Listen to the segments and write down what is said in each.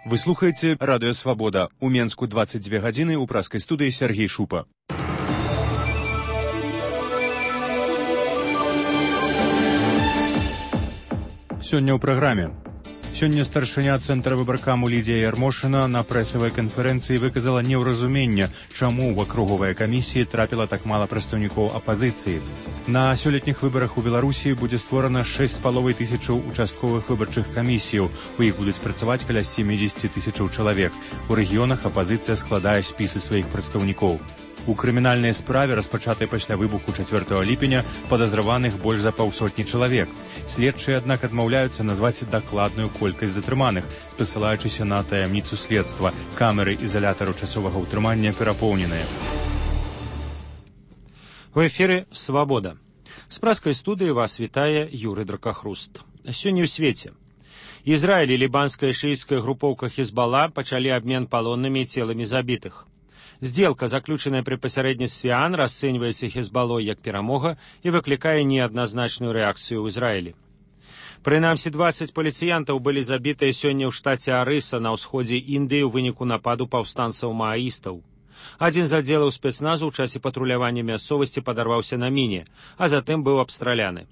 Вы слухаете «Радио Свобода». У Менску 22 гадзіны, у праскай студыі Сергей Шупа. Сёння ў праграме. Сёння старшыня Цэнтра выбаркаму Лідія Ярмошына на прэсавай канферэнцыі выказала неўразуменне, чаму ў акруговай камісіі трапіла так мала прадстаўнікоў апазіцыі. На сёлетніх выбарах у Беларусі будзе створана 6,5 тысячаў участковых выбарчых камісіяў. У іх будуць працаваць каля 70 тысячаў чалавек. У рэгіёнах апазіцыя складае спісы сваіх прадстаўнікоў. У крымінальнай справе, распачатай пасля выбуху 4 ліпеня, падазраваных больш за паўсотні чалавек. Следчыя, аднак, адмаўляюцца назваць дакладную колькасць затрыманых, спасылаючыся на таямніцу следства. Камеры ізалятару часовага ўтрымання перапоўненыя. В эфире «Свобода». С праской студии вас вітае Юрий Дракохруст. Сёння ў свеце. Израиль и либанская шиитская групповка Хизбалла пачалі обмен палоннымі і целамі забітых. Сделка, заключенная при посередництве АН, расценивается Хизбаллой як перамога и выкликае неоднозначную реакцию в Израиле. Прынамсі 20 паліцыянтаў былі забітыя сёння ў штаце Арыса на ўсходзе Індыі ў выніку нападу паўстанцаў-мааістаў. Адзін з аддзелаў спецназу ў часе патрулявання мясцовасці падарваўся на міне, а затым быў абстраляны.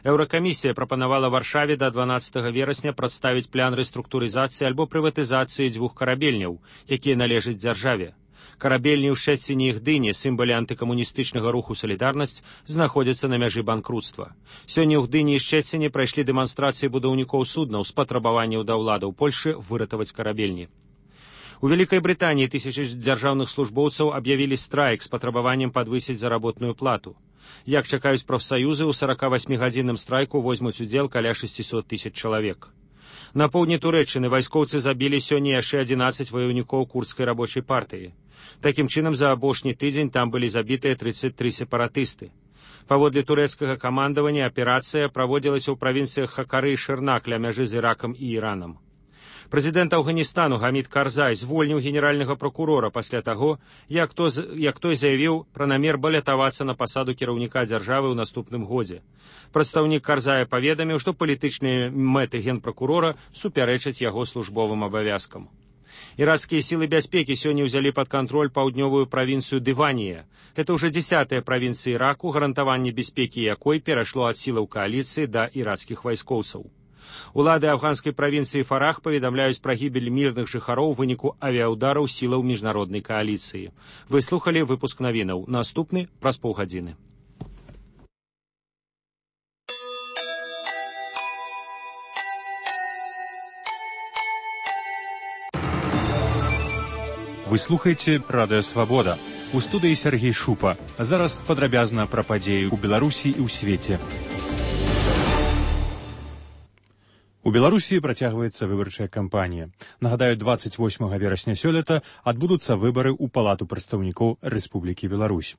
Еўракамісія прапанавала Варшаве да 12 верасня прадставіць план рэструктурызацыі альбо прыватызацыі 2 карабельняў, якія належаць дзяржаве. Карабельні ў Шчэціне і Гдыні, сімвалы антыкамуністычнага руху «Салідарнасць», знаходзяцца на мяжы банкруцтва. Сёння ў Гдыні і Шчэціне прайшлі дэманстрацыі будаўнікоў суднаў з патрабаванняў да ўладаў Польшы выратаваць карабельні. У Вялікай Брытаніі тысячы дзяржаўных службоўцаў аб'явілі страйк з патрабаваннем падвысіць заработную плату. Як чакаюць прафсаюзы, у 48-гадзінным страйку возьмуць удзел каля 600 тысяч чалавек. На поўдні Турэччыны вайскоўцы забілі сёння яшчэ 11 ваяўнікоў курдскай рабочай партыі. Такім чынам, за апошні тыдзень там былі забітыя 33 сепаратысты. Паводле турэцкага камандавання аперацыя праводзілася ў правінцыях Хакары і Шырнак ля мяжы з Іракам і Іранам. Прэзідэнт Афганістану Гамід Карзай звольніў генеральнага пракурора пасля таго, як той заявіў пра намер балятавацца на пасаду кіраўніка дзяржавы ў наступным годзе. Прадстаўнік Карзая паведаміў, што палітычныя мэты генпракурора супярэчаць яго службовым абавязкам. Іракскія сілы бяспекі сёння ўзялі пад кантроль паўднёвую правінцыю Дыванія. Это ўжо 10-я правінцыя Іраку, гарантаванне бяспекі якой перайшло ад сілаў кааліцыі да іракскіх вайскоўцаў. Улады афганскай правінцыі Фарах паведамляюць пра гібель мірных жыхароў у выніку авіаудараў сілаў міжнароднай кааліцыі. Вы слухалі выпуск навінаў. Наступны праз паўгадзіны. Вы слухаеце «Радио Свобода». У студыі Сергей Шупа. А зараз падрабязна пра падзеі ў Беларусі і ў свеце. У Беларусі працягваецца выбарчая кампанія. Нагадаю, 28 верасня сёлета адбудуцца выбары ў Палату прадстаўнікоў Рэспублікі Беларусь.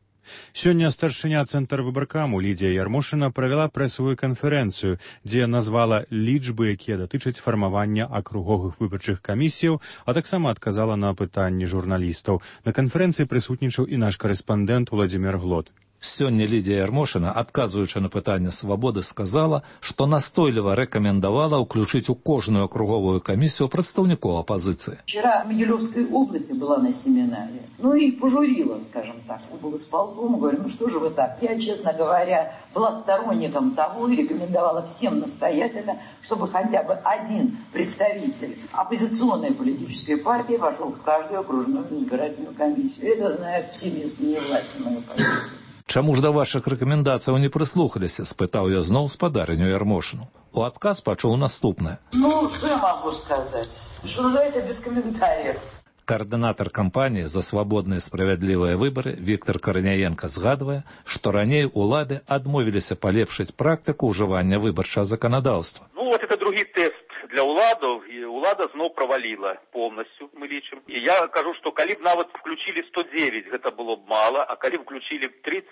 Сёння старшыня Цэнтра выбаркаму Лідія Ярмошына правяла прэсавую канферэнцыю, дзе назвала лічбы, якія датычаць фармавання акруговых выбарчых камісіяў, а таксама адказала на пытанні журналістаў. На канферэнцыі прысутнічаў і наш карэспандэнт Владзімир Глот. Сёння Лідія Ярмошына, адказваючы на пытанне «Свабоды», сказала, што настойліва рэкамендавала ўключыць у кожную акруговую камісію прадстаўнікоў апозиции. Вчера в Могилевской области была на семинаре, и пожурила, скажем так, облсполком, говорю, что же вы так? Я, честно говоря, была сторонником того и рекомендовала всем настоятельно, чтобы хотя бы один представитель оппозиционной политической партии вошел в каждую окружную избирательную комиссию. Это знают все местные власти, мою позицию. Чаму ж да вашых рэкамендацыяў не прыслухаліся, спытаў я зноў спадарню Ярмошыну. У адказ пачуў наступнае. Что я могу сказать? Что называется, без комментариев. Координатор кампании за свободные и справедливые выборы Виктор Корняенко згадывае, што раней улады адмовіліся палепшыць практыку ўжывання выбарчага законодаўства. Это другі тест для уладов, и улада зноў правалила полностью, мы лічым. И я кажу, что калі б нават включили 109, гэта было б мало, а калі включили 30,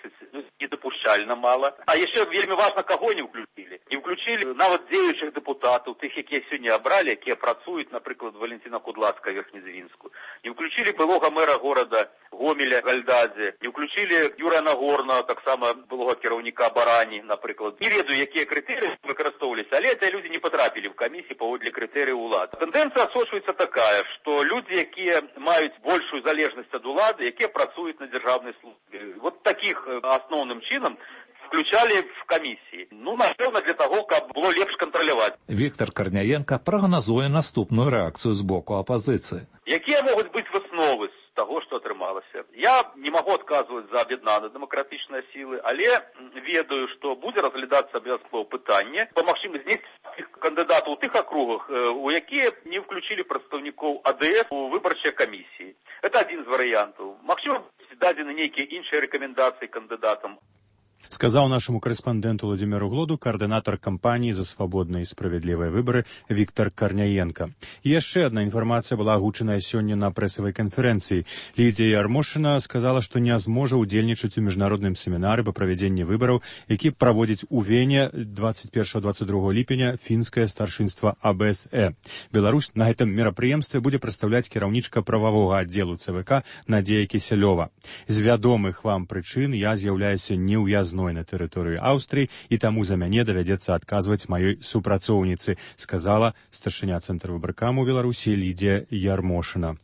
недопушчальна мало. А яшчэ вельмі важно, каго не включили. Не включили нават дзеючых депутатаў, тых, якія сёння абралі, якія працуюць, напрыклад, Валентина Кудлацкая Верхнезвінскую. Не включили былога мэра города Гомеля Гальдадзе, не ўключылі Юрія Нагорна, таксама былога кіраўніка Барані, напрыклад. Не ведаю, якія крытэрыі выкарыстоўваліся, але эти люди не потрапілі в камісіі паводле крытэрыяў улады. Тэндэнцыя асочваецца такая, што люди, якія маюць большую залежнасць ад улады, якія працуюць на дзяржаўнай службе. Вот таких асноўным чынам включали в комиссии. Напевно, для того, каб было лепш кантраляваць. Віктор Карняенка прагназуе наступную рэакцыю з боку апазіцыі. Якія могуць быць высновы з таго, што атрымалася? Я не магу адказваць за аб'яднаныя дэмакратычныя сілы, але ведаю, што будзе разглядацца абавязкова пытанне па магчымасці знесці кандыдатаў у тых акругах, у якія не ўключылі прадстаўнікоў АДС у выбарчыя камісіі. Это адзін з варыянтаў. Магчыма, дадзены нейкія іншыя рэкамендацыі кандыдатам. Сказаў нашаму корэспандэнту Владимиру Глоду координатор кампаніі за свабодныя і справядлівыя выбары Віктор Карняенка. І яшчэ одна інфармацыя была агучаная сёння на прэсавай канферэнцыі. Лідія Ярмошына сказала, што не зможа ўдзельнічаць у міжнародным семінары па правядзенні выбараў, які праводзіць у Вене 21-22 ліпеня фінскае старшынства АБСЭ. Беларусь на гэтым мерапрыемстве будзе прадстаўляць кіраўнічка прававога аддзелу ЦВК Надзея Кісялёва. З вядомых вам прычын я з'яўляюся неўязной на тэрыторыю Аўстрыі, і таму за мяне давядзецца адказваць маёй супрацоўніцы, сказала старшыня цэнтра выбаркаму Беларусі Лідія Ярмошына.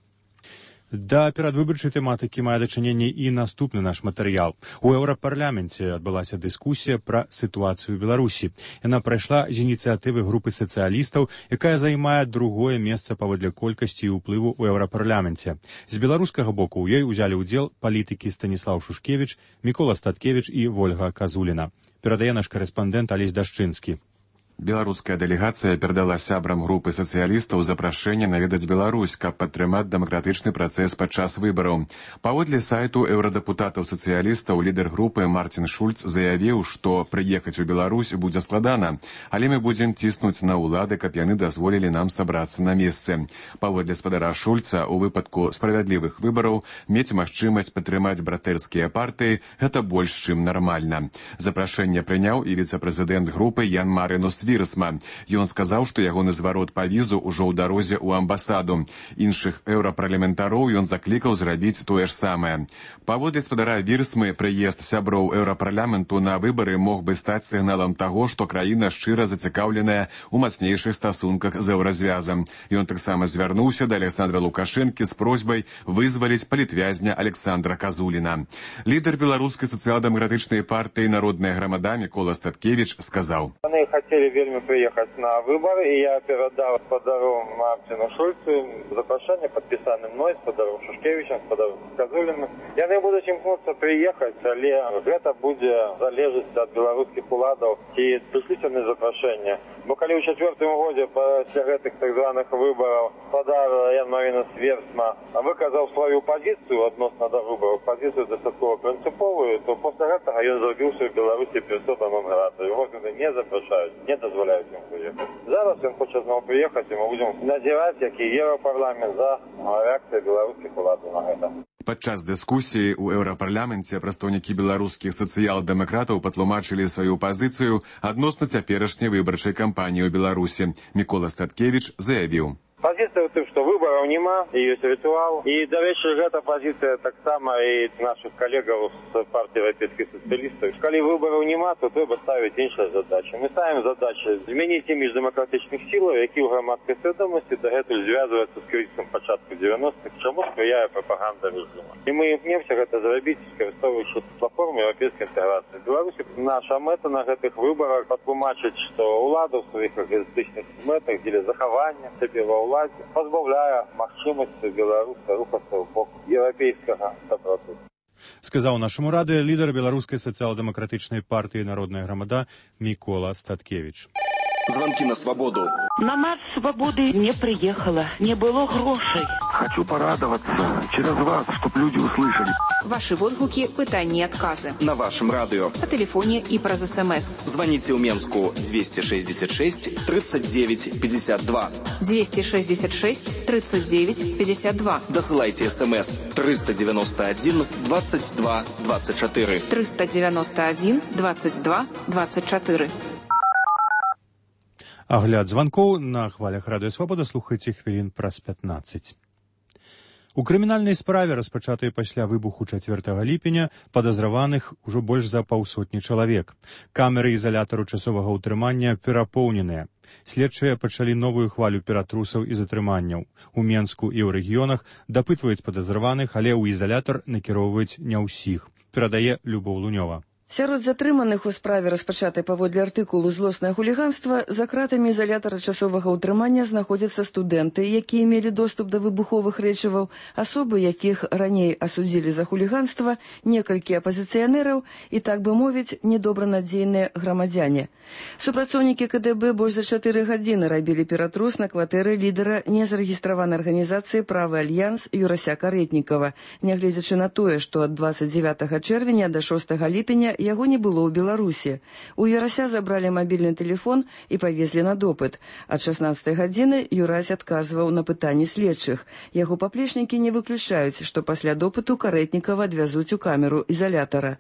Да перадвыбарчай тэматыкі мае дачыненне і наступны наш матэрыял. У Еўрапарламенце адбылася дыскусія пра сітуацыю ў Беларусі. Яна прайшла з ініцыятывы групы сацыялістаў, якая займае другое месца паводле колькасці і ўплыву ў Еўрапарламенце. З беларускага боку ў ёй узялі ўдзел палітыкі Станіслаў Шушкевіч, Мікола Статкевіч і Вольга Казуліна. Перадае наш карэспандэнт Алесь Дашчынскі. Беларуская дэлегацыя перадала сябрам групы сацыялістаў запрашэнне наведаць Беларусь, каб падтрымаць дэмакратычны працэс падчас выбараў. Паводле сайту еўрадэпутатаў-сацыялістаў лідар групы Мартин Шульц заявіў, што прыехаць у Беларусь будзе складана, але мы будзем ціснуць на ўлады, каб яны дазволілі нам сабрацца на месцы. Паводле спадара Шульца, у выпадку справядлівых выбараў мець магчымасць падтрымаць братэрскія партыі – гэта больш чым нармальна. Запрашэнне прыняў і віцэ-прэзідэнт групы Ян Маринус Вірсма. Ён сказаў, што ягоны зварот па візу ўжо ў дарозе ў амбасаду. Іншых еўрапарламентароў ён заклікаў зрабіць тое ж самае. Паводле спадара Вірсмы, прыезд сяброў еўрапарламенту на выбары мог бы стаць сігналам таго, што краіна шчыра зацікаўленая ў мацнейшых стасунках з еўразвязам. Ён таксама звярнуўся да Александра Лукашэнкі з просьбай вызваліць палітвязня Александра Казуліна. Лідар беларускай сацыял-дэмакратычнай партыі «Народная грамада» Мікола Статкевіч сказаў: Яны хацелі вельмі прыехаць на выбары, і я перадаў спадару Мартину Шульцу запрашэнне, падпісаны мной, спадару Шушкевічам, спадару Казуліным. Яны будуць імкнуцца прыехаць, але гэта будзе залежаць ад беларускіх уладаў, ці прышліць яны запрашэнне. Бо калі ў 4-м годзе пасля гэтых так званых выбараў спадар Ян Маринус Вірсма выказаў сваю пазіцыю адносна да выбараў, пазіцыю дастаткова прынцыповую, то пасля гэтага ён зрабіўся ў Беларусі персона нон грата. Яго не запрашаюць, не дазволяюць ім прыехаць. Зараз ён хоча зноў прыехаць, і мы будзем назіраць, як і Еўрапарламент, за рэакцыяй беларускіх уладаў на гэта. Падчас дыскусіі ў еўрапарламенце прадстаўнікі беларускіх сацыял-дэмакратаў патлумачылі сваю пазіцыю адносна цяперашняй выбарчай кампаніі ў Беларусі. Мікола Статкевіч заявіў: Пазіцыя ў тым, што выбараў няма, і ёсць рытуал. І, дарэчы, гэта пазіцыя таксама і нашых калегаў з партыі еўрапейскіх сацыялістаў. Калі выбараў няма, то трэба ставіць іншыя задачы. Мы ставім задачы змяніць імідж дэмакратычных сілаў, які ў грамадскай свядомасці дагэтуль звязваюцца з крызісам пачатку 90-х, чаму спрыяе прапаганда рэжыма. І мы імкнемся гэта зрабіць, скарыстоўваючы платформу еўрапейскай інтэграцыі. Беларусі наша мэта на гэтых выбарах патлумачыць, што ўлада ў сваіх эгоістычных мэтах дзеля захавання сябе ва ўладзе пазбаўляе магчымасці беларуса рухацца ў бок еўрапейскага сапрацоўніцтва. Сказаў нашаму радыё лідар беларускай сацыял-дэмакратычнай партыі «Народная грамада» Мікола Статкевіч. Звонки на свободу. На марш свободы не приехала, не было грошей. Хочу порадоваться через вас, чтобы люди услышали. Ваши водгуки, пытания и отказы. На вашем радио. По телефоне и про СМС. Звоните у Менску 266 39 52. 266 39 52. Досылайте СМС 391 22 24. 391 22 24. Агляд званкоў на хвалях радыё Свабода слухайце хвілін праз 15. У крымінальнай справе, распачатай пасля выбуху 4 ліпеня, падазраваных ужо больш за 500 чалавек. Камеры ізалятару часовага ўтрымання перапоўненыя. Следчыя пачалі новую хвалю ператрусаў і затрыманняў. У Менску і ў рэгіёнах дапытваюць падазраваных, але ў ізалятар накіроўваюць не ўсіх. Перадае Любоў Лунёва. Сярод затрыманых у справе, распачатай паводле артыкулу «Злоснае хуліганства», за кратамі ізалятара часовага ўтрымання знаходзяцца студэнты, якія мелі доступ да выбуховых рэчываў, асобы, якіх раней асудзілі за хуліганства, некалькі апазіцыянераў і, так бы мовіць, недобранадзейныя грамадзяне. Супрацоўнікі КДБ больш за 4 гадзіны рабілі ператрус на кватэры лідара незарэгістраванай арганізацыі «Правы альянс» Юрася Карэтнікава, нягледзячы на тое, што ад 29 чэрвеня да 6 ліпеня яго не было ў Беларусі. У Юрася забралі мабільны тэлефон і павезлі на допыт. Ад 16 гадзіны Юрась адказваў на пытанні следчых. Яго паплечнікі не выключаюць, што пасля допыту Карэтнікава адвязуць у камеру ізалятара.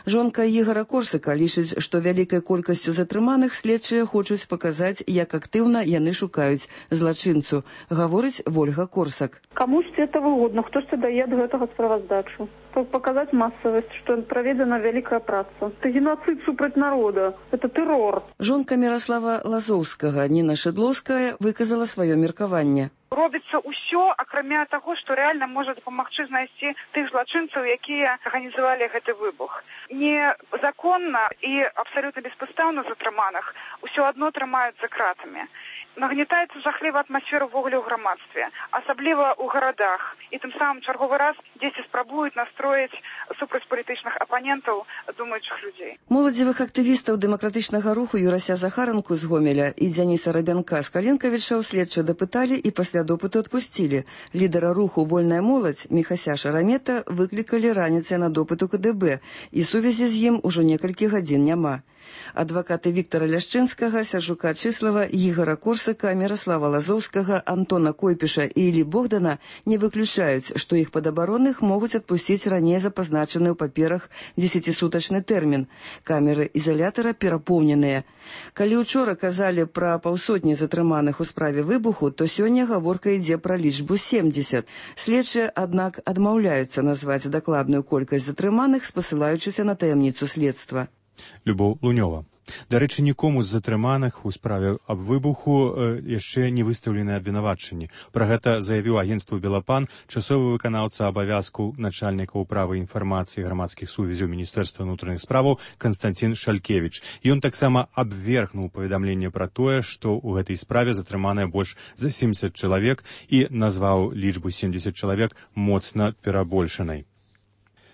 Жонка Ігора Корсака лічыць, што вялікай колькасцю затрыманых следчыя хочуць паказаць, як актыўна яны шукаюць злачынцу, гаворыць Вольга Корсак. Камусь это выгодно, хтось дае ад гэтага справаздачу. Показать массовость, что проведена великая праца. Это геноцид супраць народа. Это террор. Жонка Міраслава Лазоўскага Ніна Шыдлоўская выказала сваё меркаванне. Робіцца ўсё, акрамя таго, што рэальна можа дапамагчы знайсці тых злачынцаў, якія арганізавалі гэты выбух. Незаконна і абсалютна беспадстаўна затрыманых усё адно трымаюць за кратамі. Нагнетаецца жахлівая атмасфера ўвогуле ў грамадстве, асабліва ў гарадах. І тым самым чарговы раз дзесьці спрабуюць настроіць супраць палітычных апанентаў думаючых людзей. Моладзевых актывістаў дэмакратычнага руху Юрася Захаранку з Гомеля і Дзяніса Рабянка з Каленкавіча следчыя дапыталі і пасля допыту адпусцілі. Лідара руху «Вольная моладзь» Міхася Шарамета выклікалі раніцай на допыт у КДБ, і сувязі з ім ужо некалькі гадзін няма. Адвакаты Віктара Ляшчынскага, Сяржука Чыслава, Ігора Корсака, Міраслава Лазоўскага, Антона Койпіша і Іллі Богдана не выключаюць, што іх падабаронных могуць адпусціць раней запазначаны ў паперах 10-сутачны тэрмін. Камеры ізалятара перапоўненыя. Калі учора казалі пра 500 затрыманых у справе выбуху, то сёння гаворка ідзе пра лічбу 70. Следчыя, аднак, адмаўляюцца назваць дакладную колькасць затрыманых, спасылаючыся на таямніцу следства. Любоў Лунёва. Дарэчы, нікому з затрыманых у справе аб выбуху яшчэ не выстаўлены абвінавачанні. Пра гэта заявіў агенцтву «Белапан» часовы выканаўца абавязку начальніка ўправы інфармацыі грамадскіх сувязяў Міністэрства ўнутраных справаў Канстанцін Шалькевіч. Ён таксама абвергнуў паведамленне пра тое, што ў гэтай справе затрыманыя больш за 70 чалавек і назваў лічбу 70 чалавек моцна перабольшанай.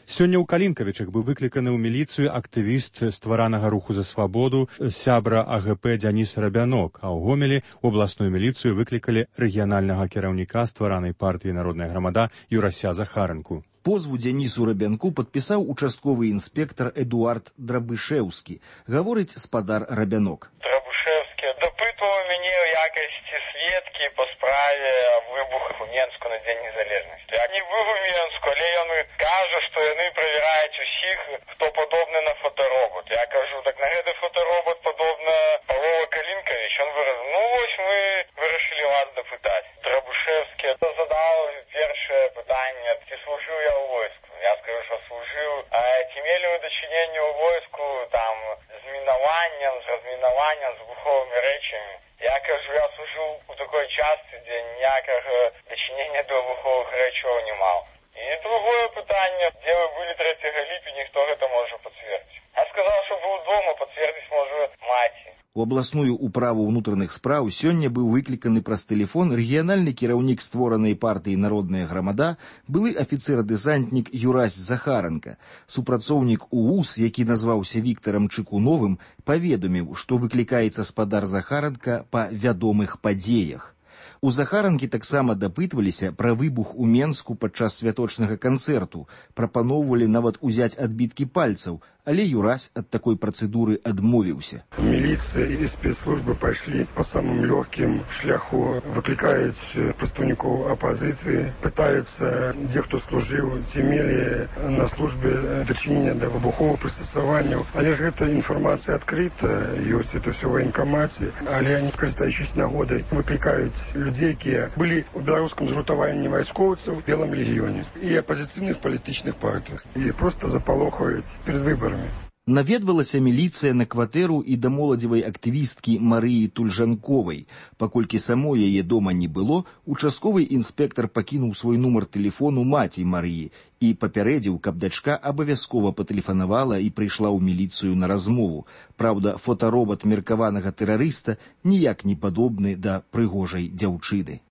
Сёння ў Калінкавічах быў выкліканы ў міліцыю актывіст стваранага руху за свабоду сябра АГП Дзяніс Рабянок, а ў Гомелі ў абласную міліцыю выклікалі рэгіянальнага кіраўніка стваранай партыі «Народная грамада» Юрася Захаранку. Позву Дзянісу Рабянку падпісаў участковы інспектар Эдуард Драбышэўскі, гаворыць спадар Рабянок. Драбышэўскі допытуваў мяне ў якасці сведкі па справе выбуху ў Менску на Дзень незалежнасці. Я не быў у Менску, але ён кажа, што яны правяраюць усіх, хто падобны на фоторобот. Я кажу, так на гэты фоторобот падобна Павла Калінкавіч. Ён выраз, ну вось мы вырашылі вас дапытаць. Драбышэўскі задаў першае пытанне, ці служыў я ў войску. Я скажу, што служыў. А ці мелі вы дачыненне ў войску там з мінаваннем, з размінаваннем, з выбуховымі рэчамі? Я кажу, я служыў у такой частцы, дзе ніякага дачынення да выбуховых рэчаў не маў. І другое пытанне, дзе вы былі 3 ліпеня, хто гэта можа пацвердзіць? Я сказаў, што быў дома, пацвердзіць можа маці. У абласную ўправу ўнутраных спраў сёння быў выкліканы праз тэлефон рэгіянальны кіраўнік створанай партыі «Народная грамада», былы афіцэр-дэсантнік Юрась Захаранка. Супрацоўнік УУС, які назваўся Віктарам Чыкуновым, паведаміў, што выклікаецца спадар Захаранка па вядомых падзеях. У Захаранкі таксама дапытваліся пра выбух у Менску падчас святочнага канцэрту, прапаноўвалі нават узяць адбіткі пальцаў, але Юрась ад такой працэдуры адмовіўся. Міліцыя і спецслужбы пайшлі па самым лёгкім шляху, выклікаюць прадстаўнікоў апазіцыі, пытаюцца, дзе хто служыў, ці мелі на службе дачынення да выбуховых прыстасаванняў. Але ж гэта інфармацыя адкрыта, ёсць это ўсё ў ваенкамаце, але они, карыстаючись нагодай, выклікаюць людей, которые были в белорусском згуртаванні вайскоўцаў, Белом легионе и оппозиционных политических партиях. И просто запалохаюць перед выборами. Наведвалася міліцыя на кватэру і да моладзевай актывісткі Марыі Тульжанковай. Паколькі самой яе дома не было, участковы інспектар пакінуў свой нумар тэлефону маці Марыі і папярэдзіў, каб дачка абавязкова патэлефанавала і прыйшла ў міліцыю на размову. Праўда, фотаробат меркаванага тэрарыста ніяк не падобны да прыгожай дзяўчыны.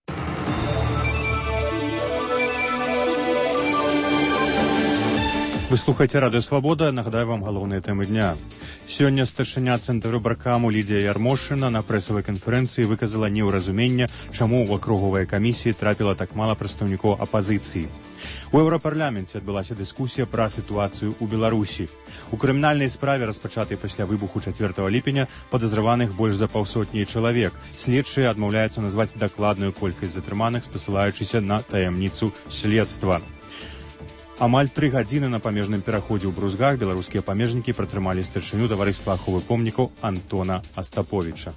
Вы слухаеце Радыё Свабода, нагадаю вам галоўныя тэмы дня. Сёння старшыня цэнтру выбаркаму Лідія Ярмошына на прэсавай канферэнцыі выказала неўразуменне, чаму ў акруговай камісіі трапіла так мала прадстаўнікоў апазіцыі. У Еўрапарламенце адбылася дыскусія пра сітуацыю ў Беларусі. У крымінальнай справе, распачатай пасля выбуху 4 ліпеня, падазраваных больш за паўсотні чалавек. Следчыя адмаўляюцца назваць дакладную колькасць затрыманых, спасылаючыся на таямніцу следства. Амаль 3 гадзіны на памежным пераходзе ў Брузгах беларускія памежнікі пратрымалі старшыню таварыства аховы помнікаў Антона Астаповіча.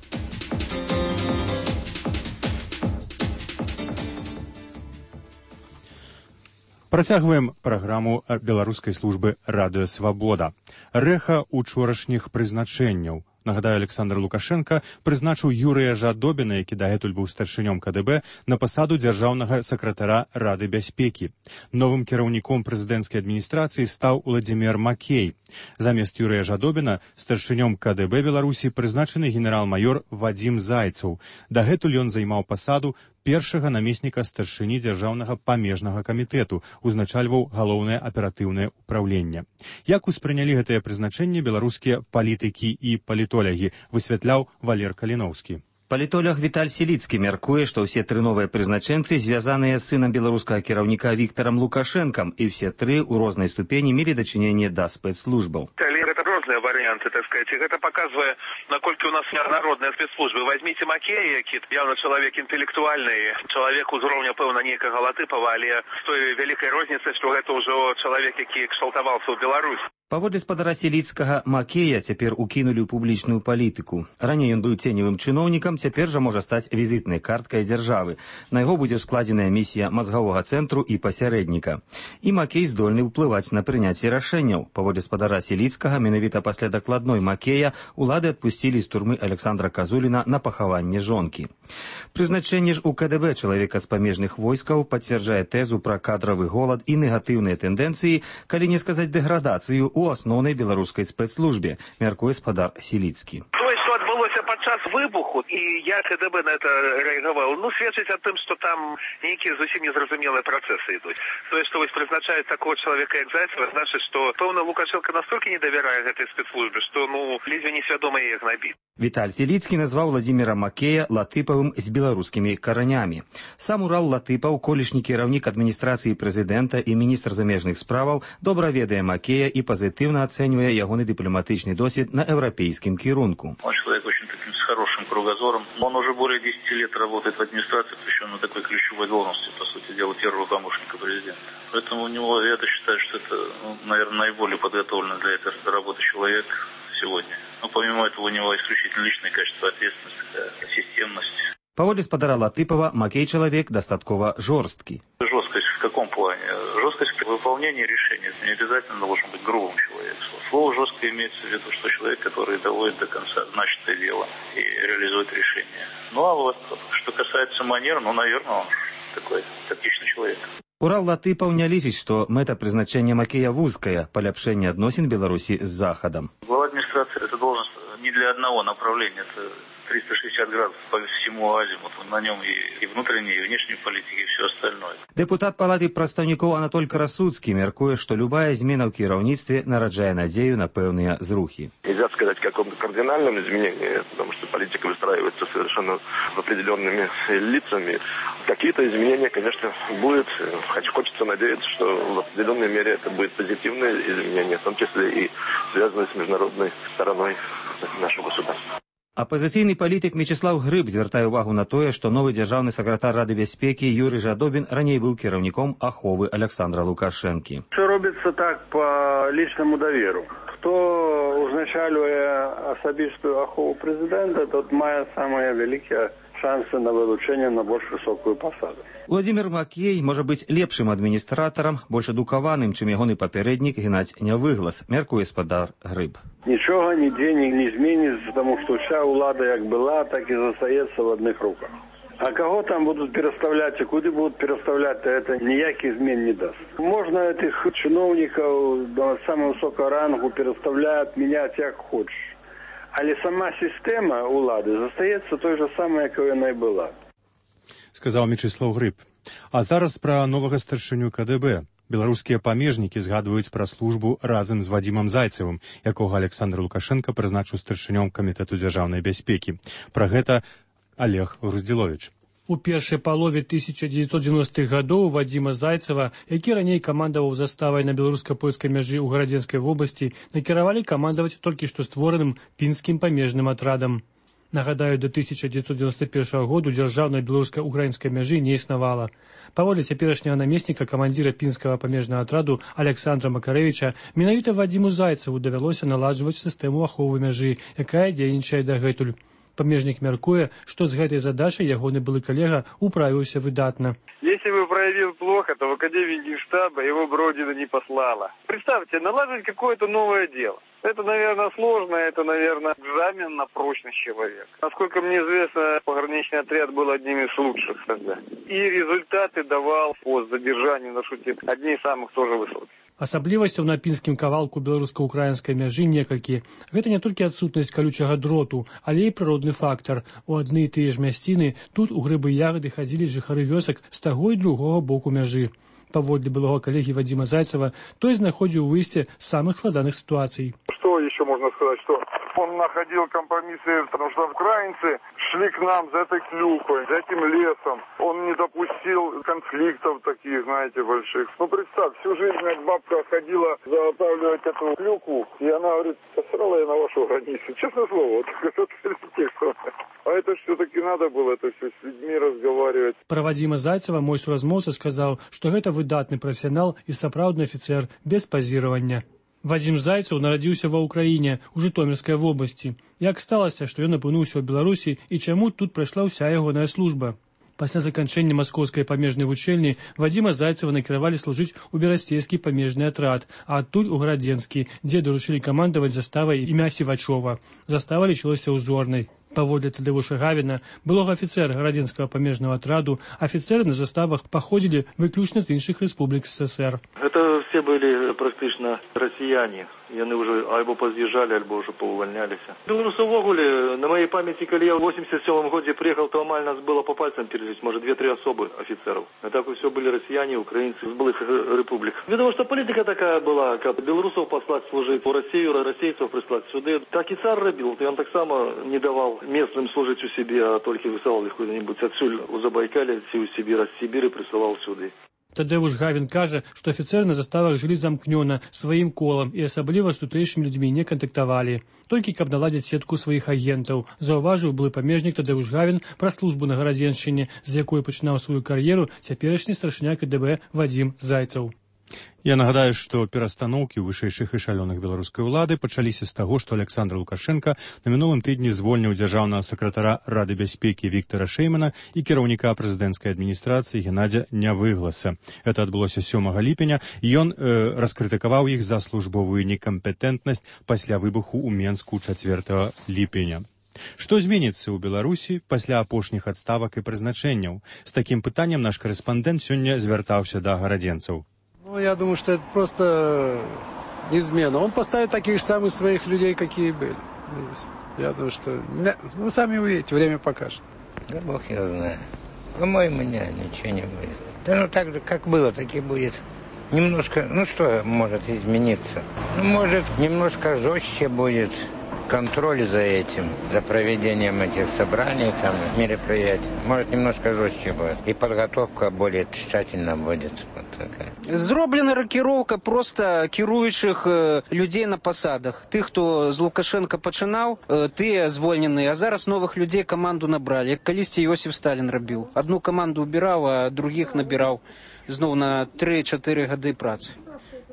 Працягваем праграму беларускай службы Радыё Свабода. Рэха учорашніх прызначэнняў. Нагадаю, Александр Лукашенко прызначыў Юрыя Жадобіна, які дагэтуль быў старшынём КДБ, на пасаду дзяржаўнага сакратара Рады бяспекі. Новым кіраўніком прэзідэнцкай адміністрацыі стаў Владзімір Макей. Замест Юрыя Жадобіна старшынём КДБ Беларусі прызначаны генерал-маёр Вадзім Зайцаў. Дагэтуль ён займаў пасаду першага намесніка старшыні дзяржаўнага памежнага камітэту, узначальваў галоўнае аператыўнае ўпраўленне. Як успрынялі гэтае прызначэнне беларускія палітыкі і палітолягі, высвятляў Валер Каліноўскі. Палітолог Віталь Селіцкі мяркуе, што ўсе 3 новыя прызначэнцы звязаныя з сынам беларускага кіраўніка Віктарам Лукашэнкам, і ўсе 3 у рознай ступені мелі дачыненне да спецслужбаў. Это розныя варианты, так сказать. Это показывает, насколько у нас народные спецслужбы. Возьмите Макея, які явно человек интеллектуальный, человек узроўня, пэўна, нейкага Латыпова, але з той вялікай розніцай, што гэта ўжо чалавек, які кшталтаваўся ў Беларусь. Паводле спадара Селіцкага, Макея цяпер укінулі ў публічную палітыку. Раней ён быў ценевым чыноўнікам, цяпер жа можа стаць візітнай карткай дзяржавы. На яго будзе складзеная місія мазгавога цэнтру і пасярэдніка. І Макей здольны ўплываць на прыняцце рашэнняў. Паводле спадара Селіцкага, менавіта пасля дакладной Макея улады адпусцілі з турмы Александра Казуліна на пахаванне жонкі. Прызначэнне ж у КДБ чалавека з памежных войскаў пацвярджае тэзу пра кадравы голад і негатыўныя тэндэнцыі, калі не сказаць дэградацыю у асноўнай беларускай спецслужбе, мяркуе спадар Селіцкі. Что отбылося подчас выбуху, и я КДБ на это реагировал, сведчыць о том, что там некие зусім незразумелые процессы идут. То есть, что вы призначаете такого человека, как Зайцева, значит, что пэўна Лукашенко настолько не доверяет этой спецслужбе, что, ледве несвядома их набит. Віталь Селіцкі назваў Владзіміра Макея Латыпавым з беларускімі каранямі. Сам Урал Латыпаў, колішні кіраўнік адміністрацыі прэзідэнта і міністр замежных справаў, добра ведае Макея і пазітыўна ацэньвае ягоны дыпламатычны досвед на еўрапейскім кірунку. Он человек очень таким с хорошим кругозором. Он уже более 10 лет работает в администрации, причем на такой ключевой должности, по сути дела, первого помощника президента. Поэтому у него, я считаю, что это, наверное, наиболее подготовленный для этой работы человек сегодня. Но помимо этого у него исключительно личные качества, ответственность, системность. Паводле спадара Латыпова, Макей человек достатково жорсткі. Жесткость в каком плане? Жесткость в выполнении решений. Не обязательно должен быть грубым человеком. Слово жестко имеется в виду, что человек, который доводит до конца начатое дело и реализует решение. А вот, что касается манер, наверное, он такой тактичный человек. Урал Латыпаў не лічыць, што мэта прызначэння Макея вузкая, паляпшэнне адносін Беларусі з Захадам. Глава администрации – это должность не для одного направления, это 360 градусов по всему азимуту. На нем и внутренней, и внешней политики, и все остальное. Депутат Палаты прадстаўнікоў Анатоль Красуцкі мяркуе, што любая змена ў кіраўніцтве нараджае надзею на пэўныя зрухі. Нельзя сказать о каком-то кардинальном изменении, потому что политика выстраивается совершенно определенными лицами. Какие-то изменения, конечно, будут. Хочется надеяться, что в определенной мере это будет позитивное изменение, в том числе и связанное с международной стороной нашего государства. Апазіцыйны палітык Мечыслаў Грыб звяртае ўвагу на тое, што новы дзяржаўны сакратар Рады бяспекі Юрый Жадобін раней быў кіраўніком аховы Александра Лукашэнкі. Все робіцца так по личному доверу. Хто узначальвае асабістую ахову прэзідэнта, тот мае самыя вялікія шансы на вылучение на больш высокую посаду. Владимир Макей можа быць лепшым адміністратарам, больш адукаваным, чым ягоны папярэднік Геннадзь Нявыглас, мяркуе спадар Грыб. Нічога нідзе не зменіцца, тому што вся ўлада як была, так і застаецца в одних руках. А кого там будут переставлять и куда будут переставлять, это никаких измен не даст. Можно этих чиновников до самого высокого рангу переставлять, менять как хочешь. Але сама система улады застаецца той же самой, якой она и была. Сказаў Мячыслаў Грыб. А зараз пра новага старшыню КДБ. Беларускія памежнікі згадваюць пра службу разам з Вадзімам Зайцевым, якога Александр Лукашенко прызначыў старшынём камітэту дзяржаўнай бяспекі. Пра гэта Олег Груздзіловіч. У першай палове 1990-х гадоў Вадзіма Зайцева, які раней камандаваў заставай на беларуска-польскай мяжы ў Гарадзенскай вобласці, накіравалі камандаваць толькі што створаным пінскім памежным атрадам. Нагадаю, до 1991 году дзяржаўнай беларуска-украінскай мяжы не існавала. Паводле цяперашняга намесніка камандзіра пінскага памежнага атраду Александра Макарэвіча, менавіта Вадзіму Зайцеву давялося наладжваць сістэму аховы мяжы, якая дзейнічае дагэтуль. Памежнік мяркуе, што з гэтай задачай ягоны былы калега управіўся выдатна. Если бы проявил плохо, то в Академии Генштаба его бы Родина не послала. Представьте, наладить какое-то новое дело. Это, наверное, сложно, это, наверное, экзамен на прочность человека. Насколько мне известно, пограничный отряд был одним из лучших тогда. И результаты давал по задержанию на шуте одни из самых тоже высоких. Асаблівасцяў на пінскім кавалку беларуска-украінскай мяжы некалькі. Гэта не толькі адсутнасць калючага дроту, але і прыродны фактар. У адны і тыя ж мясціны тут у грыбы і ягады хадзілі жыхары вёсак з таго і другога боку мяжы. Паводле былога калегі Вадзіма Зайцева, той знаходзіў выйсце з самых складаных ситуаций. Что еще можно сказать? Что он находил компромиссы, потому что украинцы шли к нам за этой клюкой, за этим лесом. Он не допустил конфликтов таких, знаете, больших. Ну, представь, всю жизнь бабка ходила заготавливать эту клюку, и она говорит, посрала я на вашу границу. Честное слово, вот а это все-таки надо было это все с людьми разговаривать. Про Вадзіма Зайцева мой суразмоўца сказаў, што гэта выдатны прафесіянал і сапраўдны афіцэр без пазіравання. Вадзім Зайцев нарадзіўся ва ўкраіне, у Жытомірскай вобласці. Як сталася, што ён апынуўся ў Беларусі і чаму тут прайшла ўся ягоная служба? Пасля заканчэння маскоўскай памежнай вучэльні Вадзіма Зайцева накіравалі служыць у берасцейскі памежны атрад, а адтуль у Гарадзенскі, дзе даручылі камандаваць заставай імя Сівачова. Застава лічылася ўзорнай. Паводле Тадеуша Гавіна, былога афіцэра Гарадзенскага памежнага атраду, афіцэры на заставах паходзілі выключна з іншых рэспублік СССР. Это все были практично россияне. Яны уже альбо позъезжали, альбо уже поувольнялись. Белорусы увогуле, на моей памяти, когда я в 87 году приехал, то амаль нас было по пальцам перелить, может, 2-3 особы офицеров. А так все были россияне, украинцы из былых республик. Потому что политика такая была, как белорусов послать служить в Россию, российцев прислать сюда. Так и царь робил, и он так само не давал местным служить у себя, а только высылал их куда-нибудь отсюда, у Забайкалья, у Сибири, с Сибири присылал сюда. Тадеуш Гавін кажа, што афіцэры на заставах жылі замкнёна сваім колам і асабліва з тутэйшымі людзьмі не кантактавалі. Толькі каб наладзіць сетку сваіх агентаў. Заўважыў былы памежнік Тадеуш Гавін пра службу на Гарадзеншчыне, з якой пачынаў сваю кар'еру цяперашні старшыня КДБ Вадзім Зайцев. Я нагадаю, што перастаноўкі ў вышэйшых эшалёнах беларускай улады пачаліся з таго, што Александр Лукашенко на мінулым тыдні звольніў дзяржаўнага сакратара Рады бяспекі Віктара Шэймана і кіраўніка прэзідэнцкай адміністрацыі Геннадзя Нявыгласа. Это адбылося 7 ліпеня, і ён раскрытыкаваў іх за службовую некампетэнтнасць пасля выбуху ў Менску 4 ліпеня. Што зменіцца ў Беларусі пасля апошніх адставак і прызначэнняў? З такім пытаннем наш корэспандэнт сёння звяртаўся да гарадзенцаў. Ну, я думаю, что это просто неизменно. Он поставит таких же самых своих людей, какие были. Я думаю, что... Вы сами увидите, время покажет. Да бог его знает. По-моему, ничего не будет. Да ну так же, как было, так и будет. Немножко, ну что может измениться? Ну, может, немножко жестче будет контроль за этим, за проведением этих собраний, там, мероприятий. Может, немножко жестче будет. И подготовка более тщательно будет. Вот такая. Зроблена рокіроўка просто кіруючых людзей на пасадах. Тых, хто з Лукашенко пачынаў, тыя звольненыя, а зараз новых людзей каманду набралі. Як калісьці Йосиф Сталін рабіў. Одну каманду убіраў, а другіх набіраў зноў на 3-4 гады працы.